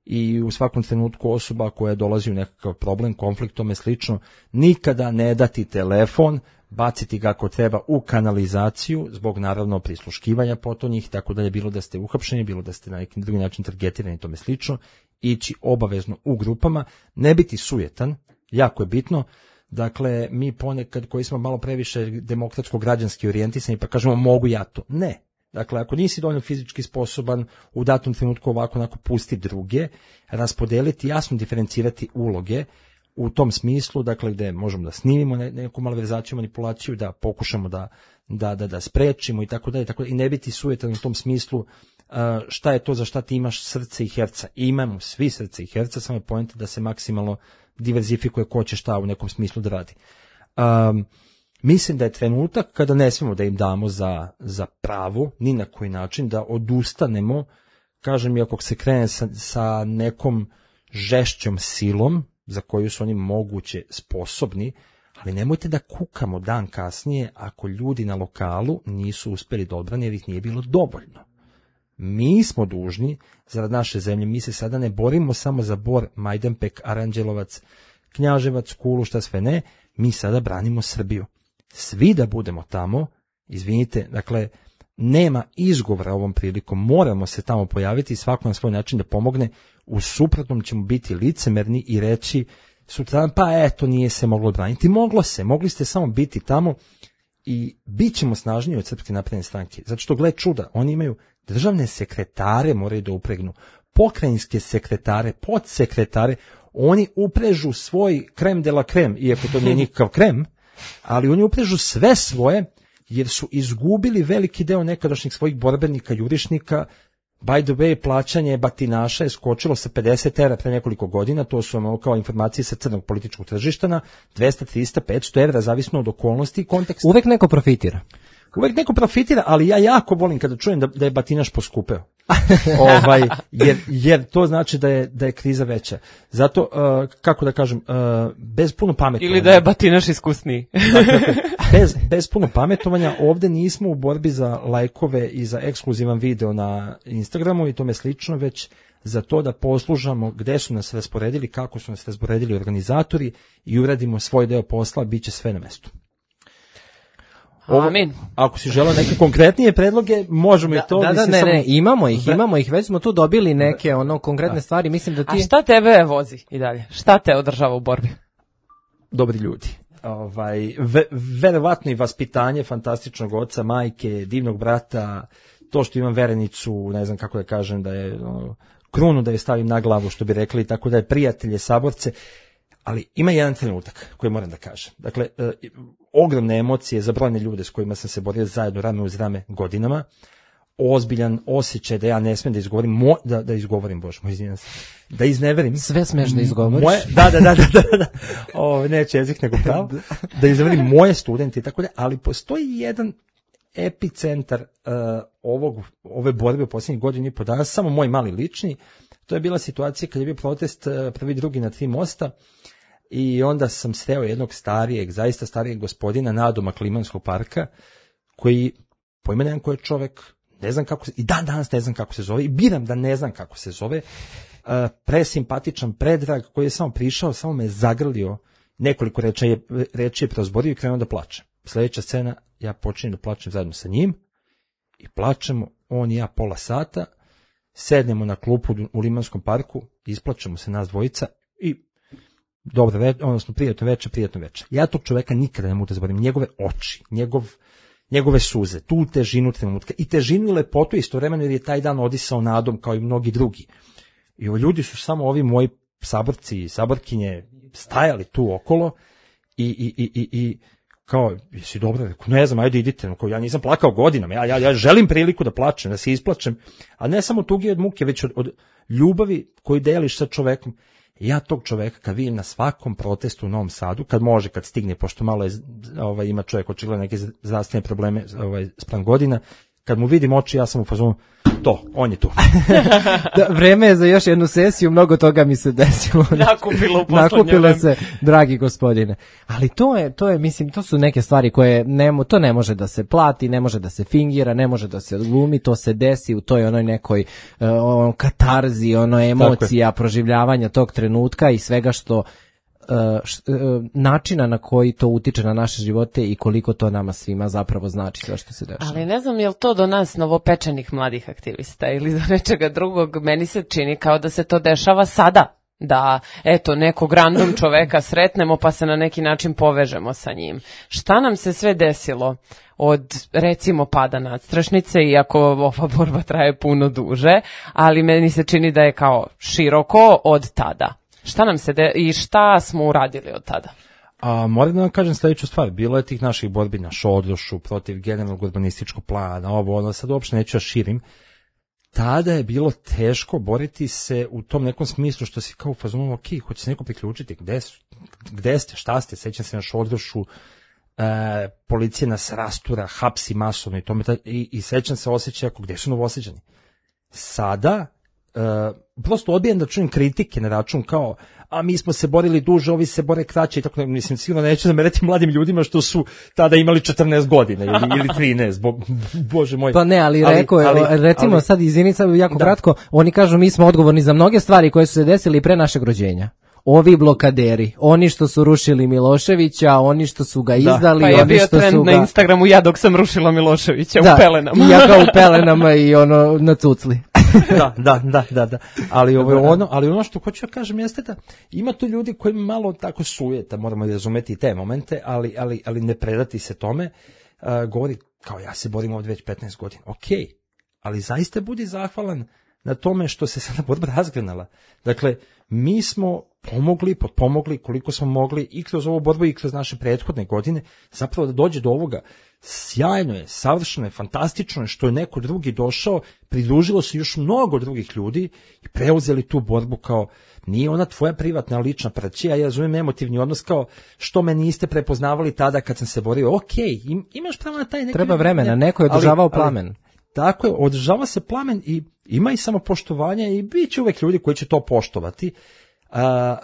i u svakom trenutku osoba koja dolazi u nekakav problem, konflikt, tome slično, nikada ne dati telefon, baciti ga ako treba u kanalizaciju, zbog naravno prisluškivanja potonjih, tako da je bilo da ste uhapšeni, bilo da ste na neki drugi način targetirani, tome slično, ići obavezno u grupama, ne biti sujetan, jako je bitno. Dakle, mi ponekad koji smo malo previše demokratsko-građanski orijentisani pa kažemo mogu ja to. Ne. Dakle, ako nisi dovoljno fizički sposoban, u datom trenutku ovako onako pusti druge, raspodeliti, jasno diferencirati uloge, u tom smislu, dakle, gde možemo da snimimo neku malverzaciju, manipulaciju, da pokušamo da, da, da, da sprečimo i tako dalje, tako da i ne biti sujetan u tom smislu šta je to za šta ti imaš srce i herca. I imamo svi srce i herca, samo je poenta da se maksimalno diverzifikuje ko će šta u nekom smislu da radi. Um, mislim da je trenutak kada ne smemo da im damo za, za pravu, ni na koji način, da odustanemo, kažem, iako se krene sa, sa nekom žešćom silom, za koju su oni moguće sposobni, ali nemojte da kukamo dan kasnije ako ljudi na lokalu nisu uspeli da odbrane jer ih nije bilo dovoljno. Mi smo dužni, zarad naše zemlje, mi se sada ne borimo samo za Bor, Majdanpek, Aranđelovac, Knjaževac, Kulu, šta sve ne, mi sada branimo Srbiju. Svi da budemo tamo, izvinite, dakle, nema izgovora ovom prilikom, moramo se tamo pojaviti i svako na svoj način da pomogne, u suprotnom ćemo biti licemerni i reći sutra, pa eto, nije se moglo braniti. Moglo se, mogli ste samo biti tamo i bit ćemo snažniji od Srpske napredne stranke. Zato što, gle čuda, oni imaju državne sekretare, moraju da upregnu, pokrajinske sekretare, podsekretare, oni uprežu svoj krem de la krem, iako to nije nikakav krem, ali oni uprežu sve svoje, jer su izgubili veliki deo nekadašnjih svojih borbenika, jurišnika. By the way, plaćanje batinaša je skočilo sa pedeset evra pre nekoliko godina, to su ono kao informacije sa crnog političkog tržišta, na dvesta, trista, petsto evra, zavisno od okolnosti i konteksta. Uvek neko profitira. Uvek neko profitira, ali ja jako volim kada čujem da, da je batinaš poskupeo. ovaj, jer, jer to znači da je, da je kriza veća. Zato, uh, kako da kažem, uh, bez puno pametovanja. Ili da je batinaš iskusniji. dakle, bez, bez puno pametovanja, ovde nismo u borbi za lajkove i za ekskluzivan video na Instagramu i tome slično, već za to da poslužamo gde su nas rasporedili, kako su nas rasporedili organizatori i uradimo svoj deo posla, bit će sve na mestu. Ovo, Amin. Ako si želeo neke konkretnije predloge, možemo da, i to. Da, da, ne, samo... ne, imamo ih, imamo ih, već smo tu dobili neke ono konkretne stvari, mislim da ti... A šta tebe vozi i dalje? Šta te održava u borbi? Dobri ljudi. Ovaj, ve, verovatno i vaspitanje fantastičnog oca, majke, divnog brata, to što imam verenicu, ne znam kako da kažem, da je ono, krunu da je stavim na glavu, što bi rekli, tako da je prijatelje, saborce. Ali ima jedan trenutak koji moram da kažem. Dakle, e, ogromne emocije za brojne ljude s kojima sam se borio zajedno rame uz rame godinama, ozbiljan osjećaj da ja ne smem da izgovorim, mo, da, da izgovorim, bože moj, izvinjam se, da izneverim. Sve smeš da izgovoriš. Moje, da, da, da, da, da, da. O, neće jezik nego pravo. Da izneverim moje studente i tako da, ali postoji jedan epicentar uh, ovog, ove borbe u posljednjih godina i po dana, samo moj mali lični. To je bila situacija kad je bio protest uh, prvi drugi na tri mosta. I onda sam sreo jednog starijeg, zaista starijeg gospodina nadomak Limanskog parka, koji, pojma nemam ko je čovek, ne znam kako se, i dan danas ne znam kako se zove, i biram da ne znam kako se zove, uh, presimpatičan, predrag, koji je samo prišao, samo me zagrlio, nekoliko reči je, reči je prozborio i krenuo da plače. Sljedeća scena, ja počinjem da plačem zajedno sa njim, i plačemo, on i ja pola sata, sednemo na klupu u Limanskom parku, isplačemo se nas dvojica, i dobro večer, odnosno prijatno večer, prijatno večer. Ja tog čoveka nikada ne mogu da zaboravim, njegove oči, njegov, njegove suze, tu težinu trenutka i težinu i lepotu istovremeno, jer je taj dan odisao nadom kao i mnogi drugi. I ovi ljudi su samo ovi moji saborci i saborkinje stajali tu okolo i, i, i, i, i kao, jesi dobro, ne znam, ajde idite, kao, ja nisam plakao godinama, ja, ja, ja želim priliku da plačem, da se isplačem, a ne samo tugi od muke, već od, od ljubavi koju deliš sa čovekom. Ja tog čoveka kad vidim na svakom protestu u Novom Sadu, kad može, kad stigne, pošto malo je, ovaj, ima čovjek očigledno neke zdravstvene probleme ovaj, spram godina, kad mu vidim oči, ja sam u fazonu, to, on je tu. Da, vreme je za još jednu sesiju, mnogo toga mi se desilo. Nakupilo u poslednje Nakupilo vreme. se, dragi gospodine. Ali to je, to je, mislim, to su neke stvari koje, ne, to ne može da se plati, ne može da se fingira, ne može da se glumi, to se desi u toj onoj nekoj uh, on, katarzi, ono emocija, proživljavanja tog trenutka i svega što Uh, š, uh, načina na koji to utiče na naše živote i koliko to nama svima zapravo znači sve što se dešava. Ali ne znam je li to do nas novopečenih mladih aktivista ili do nečega drugog, meni se čini kao da se to dešava sada. Da, eto, nekog random čoveka sretnemo pa se na neki način povežemo sa njim. Šta nam se sve desilo od, recimo, pada nadstrešnice, iako ova borba traje puno duže, ali meni se čini da je kao široko od tada. Šta nam se de- i šta smo uradili od tada? A moram da vam kažem sledeću stvar, bilo je tih naših borbi na Šodrošu, protiv generalnog urbanističkog plana, ovo, ono, sad uopšte neću ja širim. Tada je bilo teško boriti se u tom nekom smislu što si kao u fazonu, ok, hoće se neko priključiti, gde, su, gde ste, šta ste, sećam se na Šodrošu, e, policija nas rastura, hapsi masovno i tome, i, i sećam se osjećaja ako gde su Novosađani. Sada, e, prosto odbijem da čujem kritike na račun kao, a mi smo se borili duže, ovi se bore kraće i tako da, mislim, sigurno neću zamerati mladim ljudima što su tada imali četrnaest godina ili, ili trinaest, bo, bože moj. Pa ne, ali, ali rekao je, ali, recimo ali, sad izvinica jako da. Kratko, oni kažu mi smo odgovorni za mnoge stvari koje su se desili pre našeg rođenja. Ovi blokaderi, oni što su rušili Miloševića, oni što su ga izdali, pa je oni bio što trend su ga... na Instagramu ja dok sam rušila Miloševića da, u pelenama. I ja kao u pelenama i ono na cucli. da, da, da, da, da. Ali ovo ono, ali ono što hoću da kažem jeste da ima tu ljudi koji malo tako sujeta, moramo razumeti i te momente, ali ali ali ne predati se tome. Uh, govori kao ja se borim ovdje već petnaest godina. Okej. Okay. Ali zaista budi zahvalan na tome što se sada borba razgranala. Dakle, mi smo pomogli, potpomogli koliko smo mogli i kroz ovu borbu i kroz naše prethodne godine, zapravo da dođe do ovoga. Sjajno je, savršeno je, fantastično je što je neko drugi došao, pridružilo se još mnogo drugih ljudi i preuzeli tu borbu kao, nije ona tvoja privatna lična praćija, ja razumijem emotivni odnos kao, što me niste prepoznavali tada kad sam se borio, ok, im, imaš pravo na taj neki... Treba vremena, neko je održavao plamen. Ali, tako je, održava se plamen i ima i samopoštovanja i bit će uvek ljudi koji će to poštovati. Uh,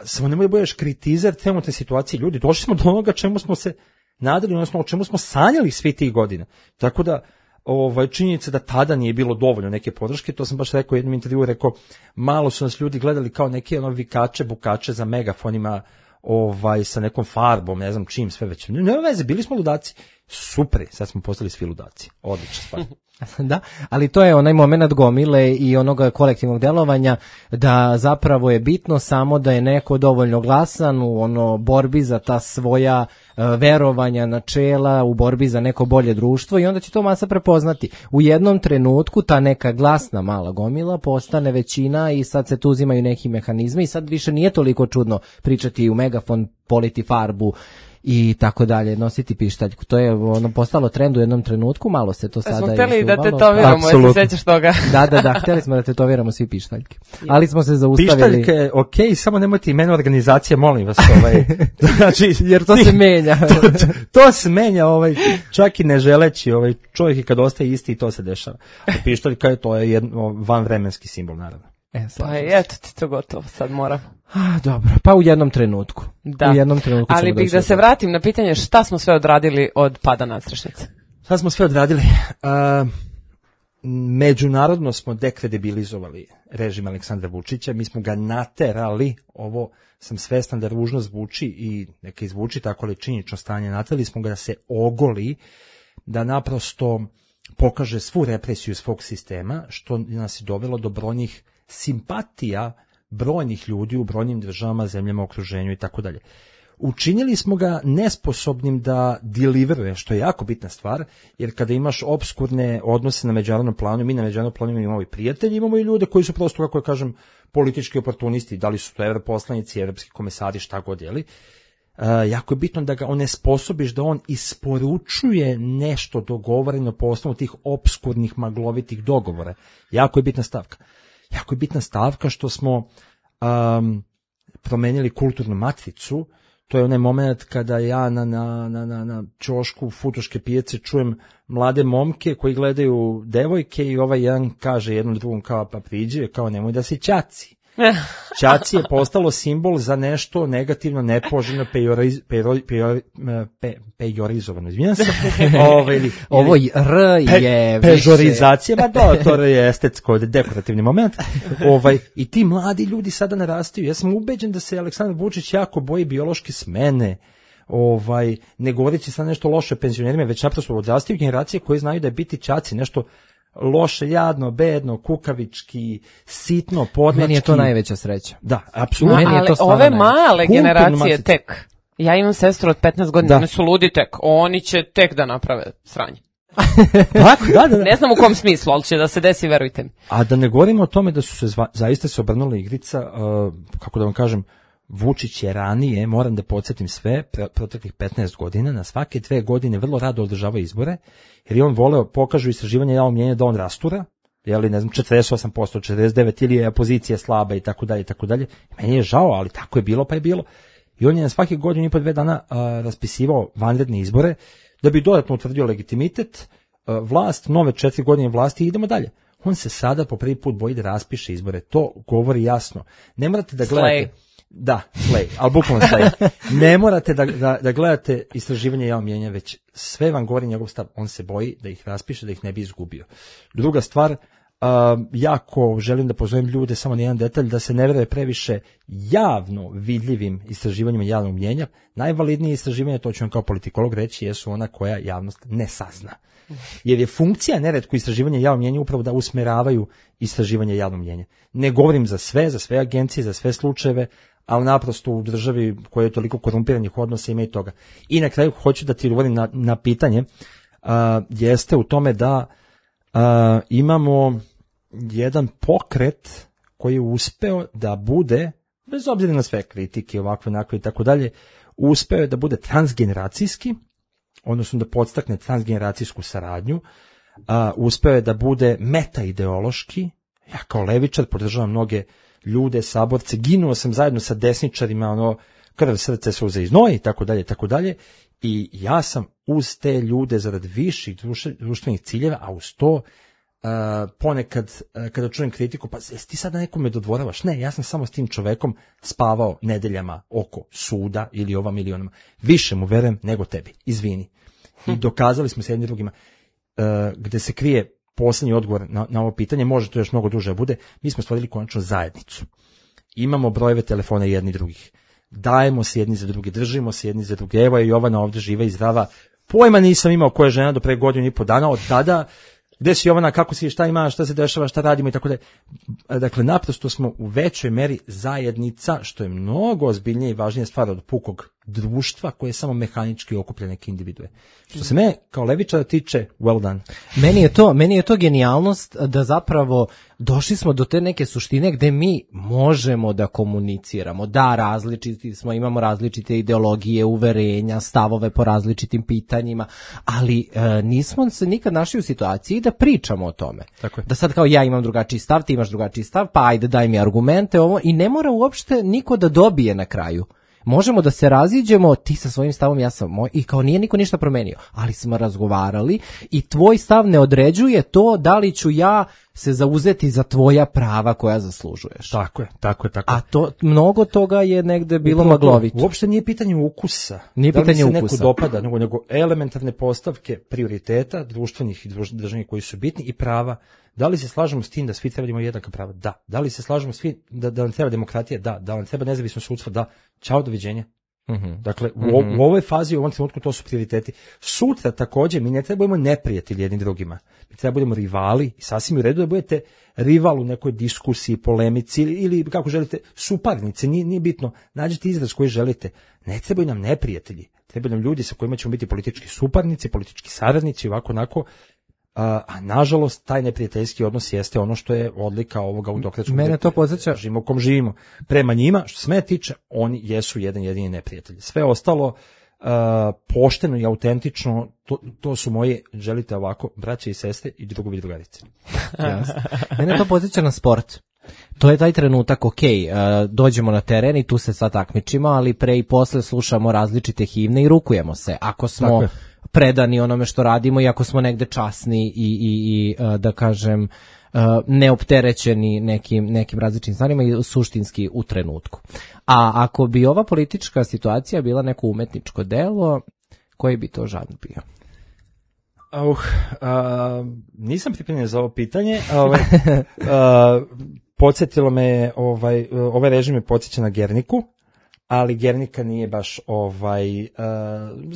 samo nemoj da budeš kritizer trenutne situacije. Ljudi, došli smo do onoga čemu smo se nadali, odnosno o čemu smo sanjali svi tih godina. Tako da, ovaj, činjenica da tada nije bilo dovoljno neke podrške, to sam baš rekao u jednom intervjuu, rekao, malo su nas ljudi gledali kao neke ono vikače, bukače za megafonima, ovaj, sa nekom farbom, ne znam čim, sve već. Nema veze, bili smo ludaci. Super, sad smo postali svi ludaci. Odlična stvar. Da, ali to je onaj moment gomile i onoga kolektivnog delovanja da zapravo je bitno samo da je neko dovoljno glasan u ono borbi za ta svoja uh, verovanja, načela, u borbi za neko bolje društvo i onda će to masa prepoznati. U jednom trenutku ta neka glasna mala gomila postane većina i sad se tu uzimaju neki mehanizmi i sad više nije toliko čudno pričati u megafon, politi farbu i tako dalje, nositi pištaljku. To je ono postalo trend u jednom trenutku, malo se to sada smo istuvalo. hteli da tetoviramo, jesi se sećaš toga? Da, da, da, hteli smo da tetoviramo svi pištaljke. Ali smo se zaustavili. Pištaljke je okej, okay, samo nemojte imena organizacije, molim vas. Ovaj, znači, jer to se menja. to, to, to se menja, ovaj, čak i ne želeći, ovaj, čovjek i kad ostaje isti i to se dešava. A pištaljka je, to je jedno vanvremenski simbol, naravno. E, pa eto ti to gotovo, sad moram. A, dobro, pa u jednom trenutku. Da. U jednom trenutku ali bih da se vratim na pitanje šta smo sve odradili od pada nadstrešnice. Šta smo sve odradili? Uh, međunarodno smo dekredibilizovali režim Aleksandra Vučića, mi smo ga naterali, ovo sam svestan da ružno zvuči i neka izvuči tako ali činjenično stanje, naterali smo ga da se ogoli, da naprosto pokaže svu represiju svog sistema, što nas je dovelo do brojnih simpatija brojnih ljudi u brojnim državama, zemljama, okruženju i tako dalje. Učinili smo ga nesposobnim da deliveruje, što je jako bitna stvar, jer kada imaš obskurne odnose na međunarodnom planu, mi na međunarodnom planu imamo i prijatelji, imamo i ljude koji su prosto, kako ja kažem, politički oportunisti, da li su to evroposlanici, evropski komesari, šta god je li. Uh, jako je bitno da ga onesposobiš da on isporučuje nešto dogovoreno po osnovu tih obskurnih maglovitih dogovora. Jako je bitna stavka. Jako je bitna stavka što smo um, promenili kulturnu matricu. To je onaj moment kada ja na, na, na, na, na ćošku Futoške pijace čujem mlade momke koji gledaju devojke i ovaj jedan kaže jednom drugom kao pa priđe, kao nemoj da si ćaci. Ćaci je postalo simbol za nešto negativno, nepoželjno, pejoriz, pejori, pejori, pe, pejorizovano. Izvinjam se. Ove, ili, Ovo R je pe, pežorizacija, ma da, to je estetsko, dekorativni moment. Ovaj, i ti mladi ljudi sada narastaju. Ja sam ubeđen da se Aleksandar Vučić jako boji biološke smene, ovaj, ne govoreći sad nešto loše penzionerima, već naprosto odrastaju generacije koje znaju da je biti ćaci nešto loše, jadno, bedno, kukavički, sitno, podmački. Meni je to najveća sreća. Da, apsolutno. No, ali ove male generacije tek, ja imam sestru od petnaest godina, oni su ludi tek, oni će tek da naprave sranje. Tako, da, da, da. Ne znam u kom smislu, ali će da se desi, verujte mi. A da ne govorimo o tome da su se zva, zaista se obrnula igrica, uh, kako da vam kažem, Vučić je ranije, moram da podsjetim sve, proteklih petnaest godina, na svake dve godine vrlo rado održava izbore, jer je on voleo, pokažu istraživanja javnog mnjenja da on rastura, jeli, ne znam, četrdeset osam posto, četrdeset devet ili je opozicija slaba i tako dalje i tako dalje. Meni je žao, ali tako je bilo, pa je bilo. I on je na svake godine i po dve dana a, raspisivao vanredne izbore da bi dodatno utvrdio legitimitet, a, vlast, nove četiri godine vlasti i idemo dalje. On se sada po prvi put boji da raspiše izbore. To govori jasno. Ne morate da gledate... Slay. Da, slay, ali bukvalno slay. Ne morate da, da, da gledate istraživanje javnog mnjenja, već sve vam govori njegov stav. On se boji da ih raspiše, da ih ne bi izgubio. Druga stvar, Uh, jako želim da pozovem ljude, samo na jedan detalj, da se ne veruje previše javno vidljivim istraživanjima javnog mnjenja. Najvalidnije istraživanja, to ću vam kao politikolog reći, jesu ona koja javnost ne sazna. Jer je funkcija neretko istraživanja javnog mnjenja upravo da usmeravaju istraživanje javnog mnjenja. Ne govorim za sve, za sve agencije, za sve slučajeve, ali naprosto u državi koja je toliko korumpiranih odnosa ima i toga. I na kraju hoću da ti odgovorim na, na pitanje, uh, jeste u tome da uh, imamo jedan pokret koji je uspeo da bude, bez obzira na sve kritike, ovakve, onakve i tako dalje, uspeo je da bude transgeneracijski, odnosno da podstakne transgeneracijsku saradnju, uh, uspeo je da bude meta-ideološki. Ja kao levičar podržavam mnoge ljude, saborce, ginuo sam zajedno sa desničarima, ono, krv, srce, suze i znoj, i tako dalje, tako dalje, i ja sam uz te ljude zarad viših društvenih ciljeva, a uz to Uh, ponekad uh, kada čujem kritiku, pa jesi ti sada nekome dodvoravaš? Ne, ja sam samo s tim čovekom spavao nedeljama oko suda ili ovam ili onama. Više mu verujem nego tebi, izvini. I dokazali smo se jedni drugima. Uh, gde se krije poslednji odgovor na, na ovo pitanje, može to još mnogo duže bude, mi smo stvorili konačno zajednicu. Imamo brojeve telefona jedni drugih. Dajemo se jedni za druge, držimo se jedni za druge. Evo je Jovana ovde živa i zdrava. Pojma nisam imao koja je žena do pre godinu i po dana, od tada gde si Jovana, kako si, šta ima, šta se dešava, šta radimo i tako da. Dakle, naprosto smo u većoj meri zajednica, što je mnogo ozbiljnije i važnija stvar od pukog društva koje samo mehanički okuplja neke individue. Što se me kao levičara tiče, well done. Meni je to, meni je to genijalnost da zapravo došli smo do te neke suštine gde mi možemo da komuniciramo, da različiti smo, imamo različite ideologije, uverenja, stavove po različitim pitanjima, ali e, nismo se nikad našli u situaciji da pričamo o tome. Tako je. Da sad kao ja imam drugačiji stav, ti imaš drugačiji stav, pa ajde daj mi argumente ovo, i ne mora uopšte niko da dobije na kraju. Možemo da se raziđemo, ti sa svojim stavom, ja sam moj, i kao nije niko ništa promenio, ali smo razgovarali i tvoj stav ne određuje to da li ću ja se zauzeti za tvoja prava koja zaslužuješ. Tako je, tako je, tako je. A to, mnogo toga je negde bilo maglovito. Uopšte nije pitanje ukusa. Nije pitanje pitanje da li se ukusa. neko dopada, nego, nego elementarne postavke prioriteta društvenih i državnih koji su bitni i prava. Da li se slažemo s tim da svi treba da imaju jednaka prava? Da. Da li se slažemo svi da, da nam treba demokratija? Da. Da nam treba nezavisno sudstvo? Da. Ćao, doviđenja. Mm-hmm. Dakle, u, mm-hmm. u ovoj fazi, u ovom trenutku to su prioriteti. Sutra također mi ne trebamo neprijatelji jedni drugima. Mi treba budemo rivali i sasvim u redu da budete rival u nekoj diskusiji, polemici ili, ili kako želite, suparnice, nije, nije bitno. Nađite izraz koji želite. Ne trebaju nam neprijatelji. Trebaju nam ljudi sa kojima ćemo biti politički suparnici, politički saradnici, ovako, onako. A, a nažalost taj neprijateljski odnos jeste ono što je odlika ovoga autokratskog Mene to podsjeća režima u kom živimo. Prema njima, što se mene tiče, oni jesu jedan jedini neprijatelj. Sve ostalo uh, pošteno i autentično, to, to su moje, želite ovako, braće i sestre i drugovi i drugarice. Mene to podsjeća na sport. To je taj trenutak, ok, uh, dođemo na teren i tu se sad takmičimo, ali pre i posle slušamo različite himne i rukujemo se. Ako smo predani onome što radimo i ako smo negde časni i, i, i da kažem neopterećeni nekim, nekim različitim stvarima i suštinski u trenutku. A ako bi ova politička situacija bila neko umetničko delo, koji bi to žanr bio? Uh, uh, nisam pripremljen za ovo pitanje. Ovaj, uh, podsjetilo me, ovaj, ovaj režim me podsjeća na Gerniku, ali Gernika nije baš ovaj uh,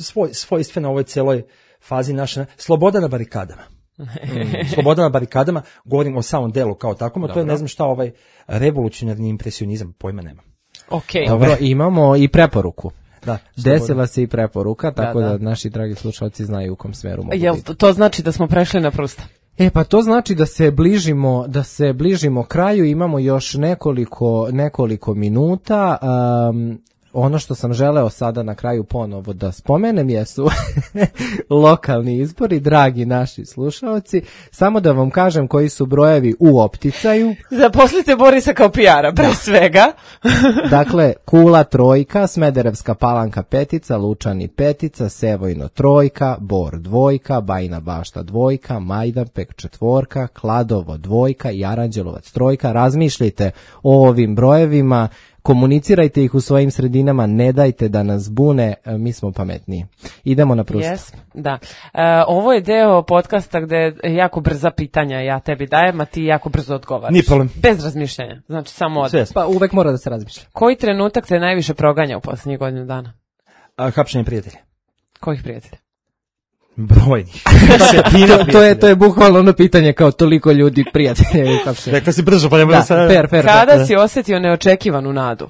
svoj, svojstvena ovoj celoj fazi naše. Sloboda na barikadama. Mm, sloboda na barikadama, govorim o samom delu kao takvom, a to je ne znam šta ovaj revolucionarni impresionizam, pojma nema. Okay. Dobro, imamo i preporuku. Da, desila se i preporuka, tako da, da, da naši dragi slušalci znaju u kom smeru mogu Jel biti. To znači da smo prešli na prsta? E pa to znači da se bližimo, da se bližimo kraju, imamo još nekoliko, nekoliko minuta. Um, ono što sam želeo sada na kraju ponovo da spomenem jesu lokalni izbori, dragi naši slušalci. Samo da vam kažem koji su brojevi u opticaju. Zaposlite Borisa kao P R-a, pre svega. Dakle, Kula trojka, Smederevska Palanka petica, Lučani petica, Sevojno trojka, Bor dvojka, Bajina Bašta dvojka, Majdanpek četvorka, Kladovo dvojka i Aranđelovac trojka. Razmišljajte o ovim brojevima, komunicirajte ih u svojim sredinama, ne dajte da nas bune, mi smo pametniji. Idemo na Prusta. Yes, da. E, ovo je deo podcasta gde je jako brza pitanja ja tebi dajem, a ti jako brzo odgovaraš. Nije problem. Bez razmišljanja, znači samo od. Pa uvek mora da se razmišlja. Koji trenutak te najviše proganja u posljednjih godinu dana? A, hapšenje prijatelja. Kojih prijatelja? Brojnih. to, to, je, to je bukvalno ono pitanje kao toliko ljudi prijatelja. Rekla si brzo, pa ne da, sad... fair, fair, Kada da. si osjetio neočekivanu nadu?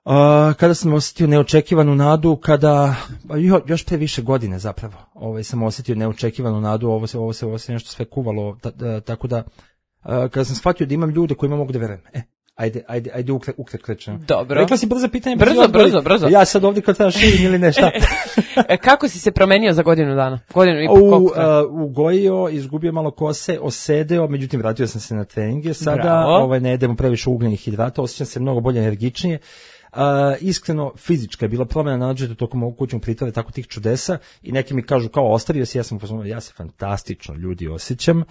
Uh, kada sam osjetio neočekivanu nadu, kada, jo, još pre više godine zapravo, ovaj, sam osjetio neočekivanu nadu, ovo se, ovo se, ovo se nešto sve kuvalo, ta, ta, tako da, uh, kada sam shvatio da imam ljude kojima mogu da verujem, e, ajde, ajde, ajde ukre, ukrećeno. Dobro. Rekla si brzo pitanje. Brzo, brzo, brzo. Ja sad ovdje kad treba širim ili nešto. Kako si se promenio za godinu dana? Godinu i po koliko? Uh, ugojio, izgubio malo kose, osedeo, međutim vratio sam se na treninge, sada Bravo. ovaj, ne jedemo previše ugljenih hidrata, osjećam se mnogo bolje energičnije. Uh, iskreno, fizička je bila promjena na način tokom ovog kućnog pritvora, tako tih čudesa i neki mi kažu kao ostavio si, ja sam pozvao, ja se fantastično ljudi osjećam,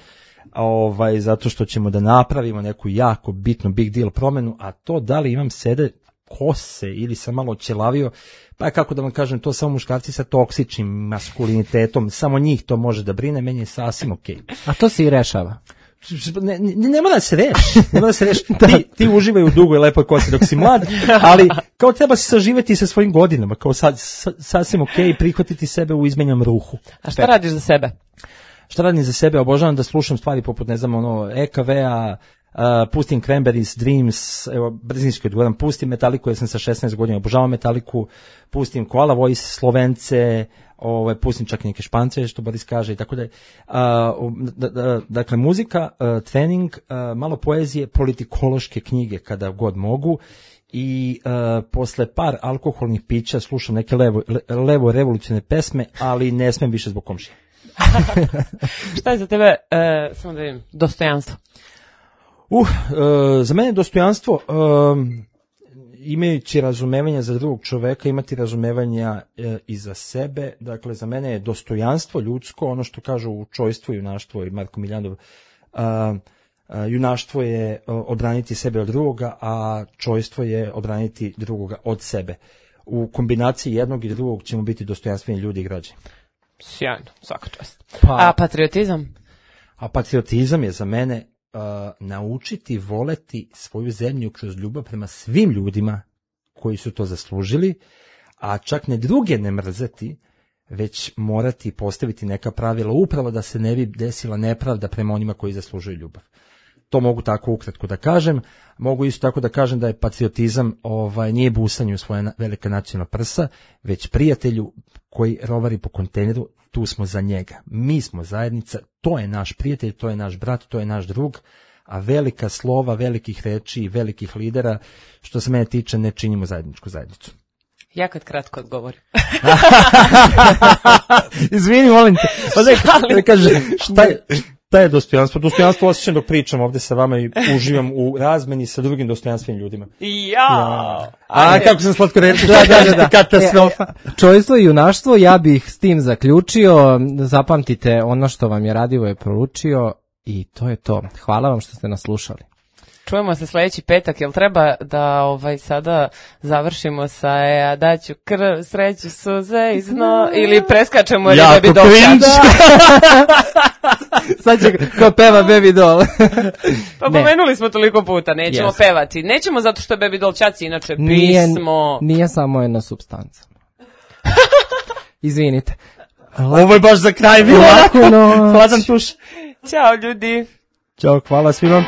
ovaj, zato što ćemo da napravimo neku jako bitnu big deal promjenu, a to da li imam sede kose ili sam malo ćelavio, pa kako da vam kažem, to samo muškarci sa toksičnim maskulinitetom, samo njih to može da brine, meni je sasvim okej. Okay. A to se i rešava. Ne, ne, ne mora da se reši, ne mora da se reši. Ti, ti uživaj u dugoj lepoj kosi dok si mlad, ali kao treba se saživeti sa svojim godinama, kao sad, sa, sasvim okej, okay, prihvatiti sebe u izmenjam ruhu. A šta radiš za sebe? Šta radim za sebe? Obožavam da slušam stvari poput, ne znam, ono, E K V-a, uh, pustim Cranberries, Dreams, evo, brzinski odgovoram, pustim Metaliku jer sam sa šesnaest godina, obožavam Metaliku, pustim Koala Voice, Slovence, ovaj, pustim čak i neke Špance, što Boris kaže i tako da je. Dakle, muzika, uh, trening, uh, malo poezije, politikološke knjige kada god mogu i uh, posle par alkoholnih pića slušam neke levo, le, levo revolucionne pesme, ali ne smem više zbog komšije. Šta je za tebe, uh, samo da vidim, dostojanstvo? Uh, uh, za mene dostojanstvo, uh, imajući razumevanja za drugog čoveka, imati razumevanja uh, i za sebe. Dakle, za mene je dostojanstvo ljudsko, ono što kažu u Čojstvo i junaštvo i Marko Miljanov, uh, uh, junaštvo je uh, odbraniti sebe od drugoga, a čojstvo je odbraniti drugoga od sebe. U kombinaciji jednog i drugog ćemo biti dostojanstveni ljudi i građani. Sjajno, svaka čast. Pa, A patriotizam? A patriotizam je za mene uh, naučiti voleti svoju zemlju kroz ljubav prema svim ljudima koji su to zaslužili, a čak ne druge ne mrzeti, već morati postaviti neka pravila upravo da se ne bi desila nepravda prema onima koji zaslužuju ljubav. To mogu tako ukratko da kažem. Mogu isto tako da kažem da je patriotizam ovaj, nije busanje u svoje na, velika nacionalna prsa, već prijatelju koji rovari po kontejneru, tu smo za njega. Mi smo zajednica, to je naš prijatelj, to je naš brat, to je naš drug, a velika slova, velikih reči i velikih lidera, što se mene tiče, ne činimo zajedničku zajednicu. Ja kad kratko odgovorim. Izvini, molim te. Pa da, da kaže, šta je... Šta je dostojanstvo? Dostojanstvo osjećam dok pričam ovdje sa vama i uživam u razmeni sa drugim dostojanstvenim ljudima. Ja! ja. A kako sam slatko reći? Da, da, da, da. Katastrofa. E, čojstvo i junaštvo, ja bih s tim zaključio. Zapamtite ono što vam je Radivoje poručio i to je to. Hvala vam što ste nas slušali. Čujemo se sljedeći petak, jel treba da ovaj sada završimo sa ja daću krv, sreću, suze i zno, ili preskačemo ili Baby Doll? Sad će ko peva Baby Doll. Pa ne. Pomenuli smo toliko puta, nećemo yes. pevati. Nećemo zato što je Baby Doll Čaci inače nije, pismo. Nije samo jedna supstanca. Izvinite. Ovo je baš za kraj bilo. Laku noć. Hladan tuš. Ćao ljudi. Ćao, hvala svima.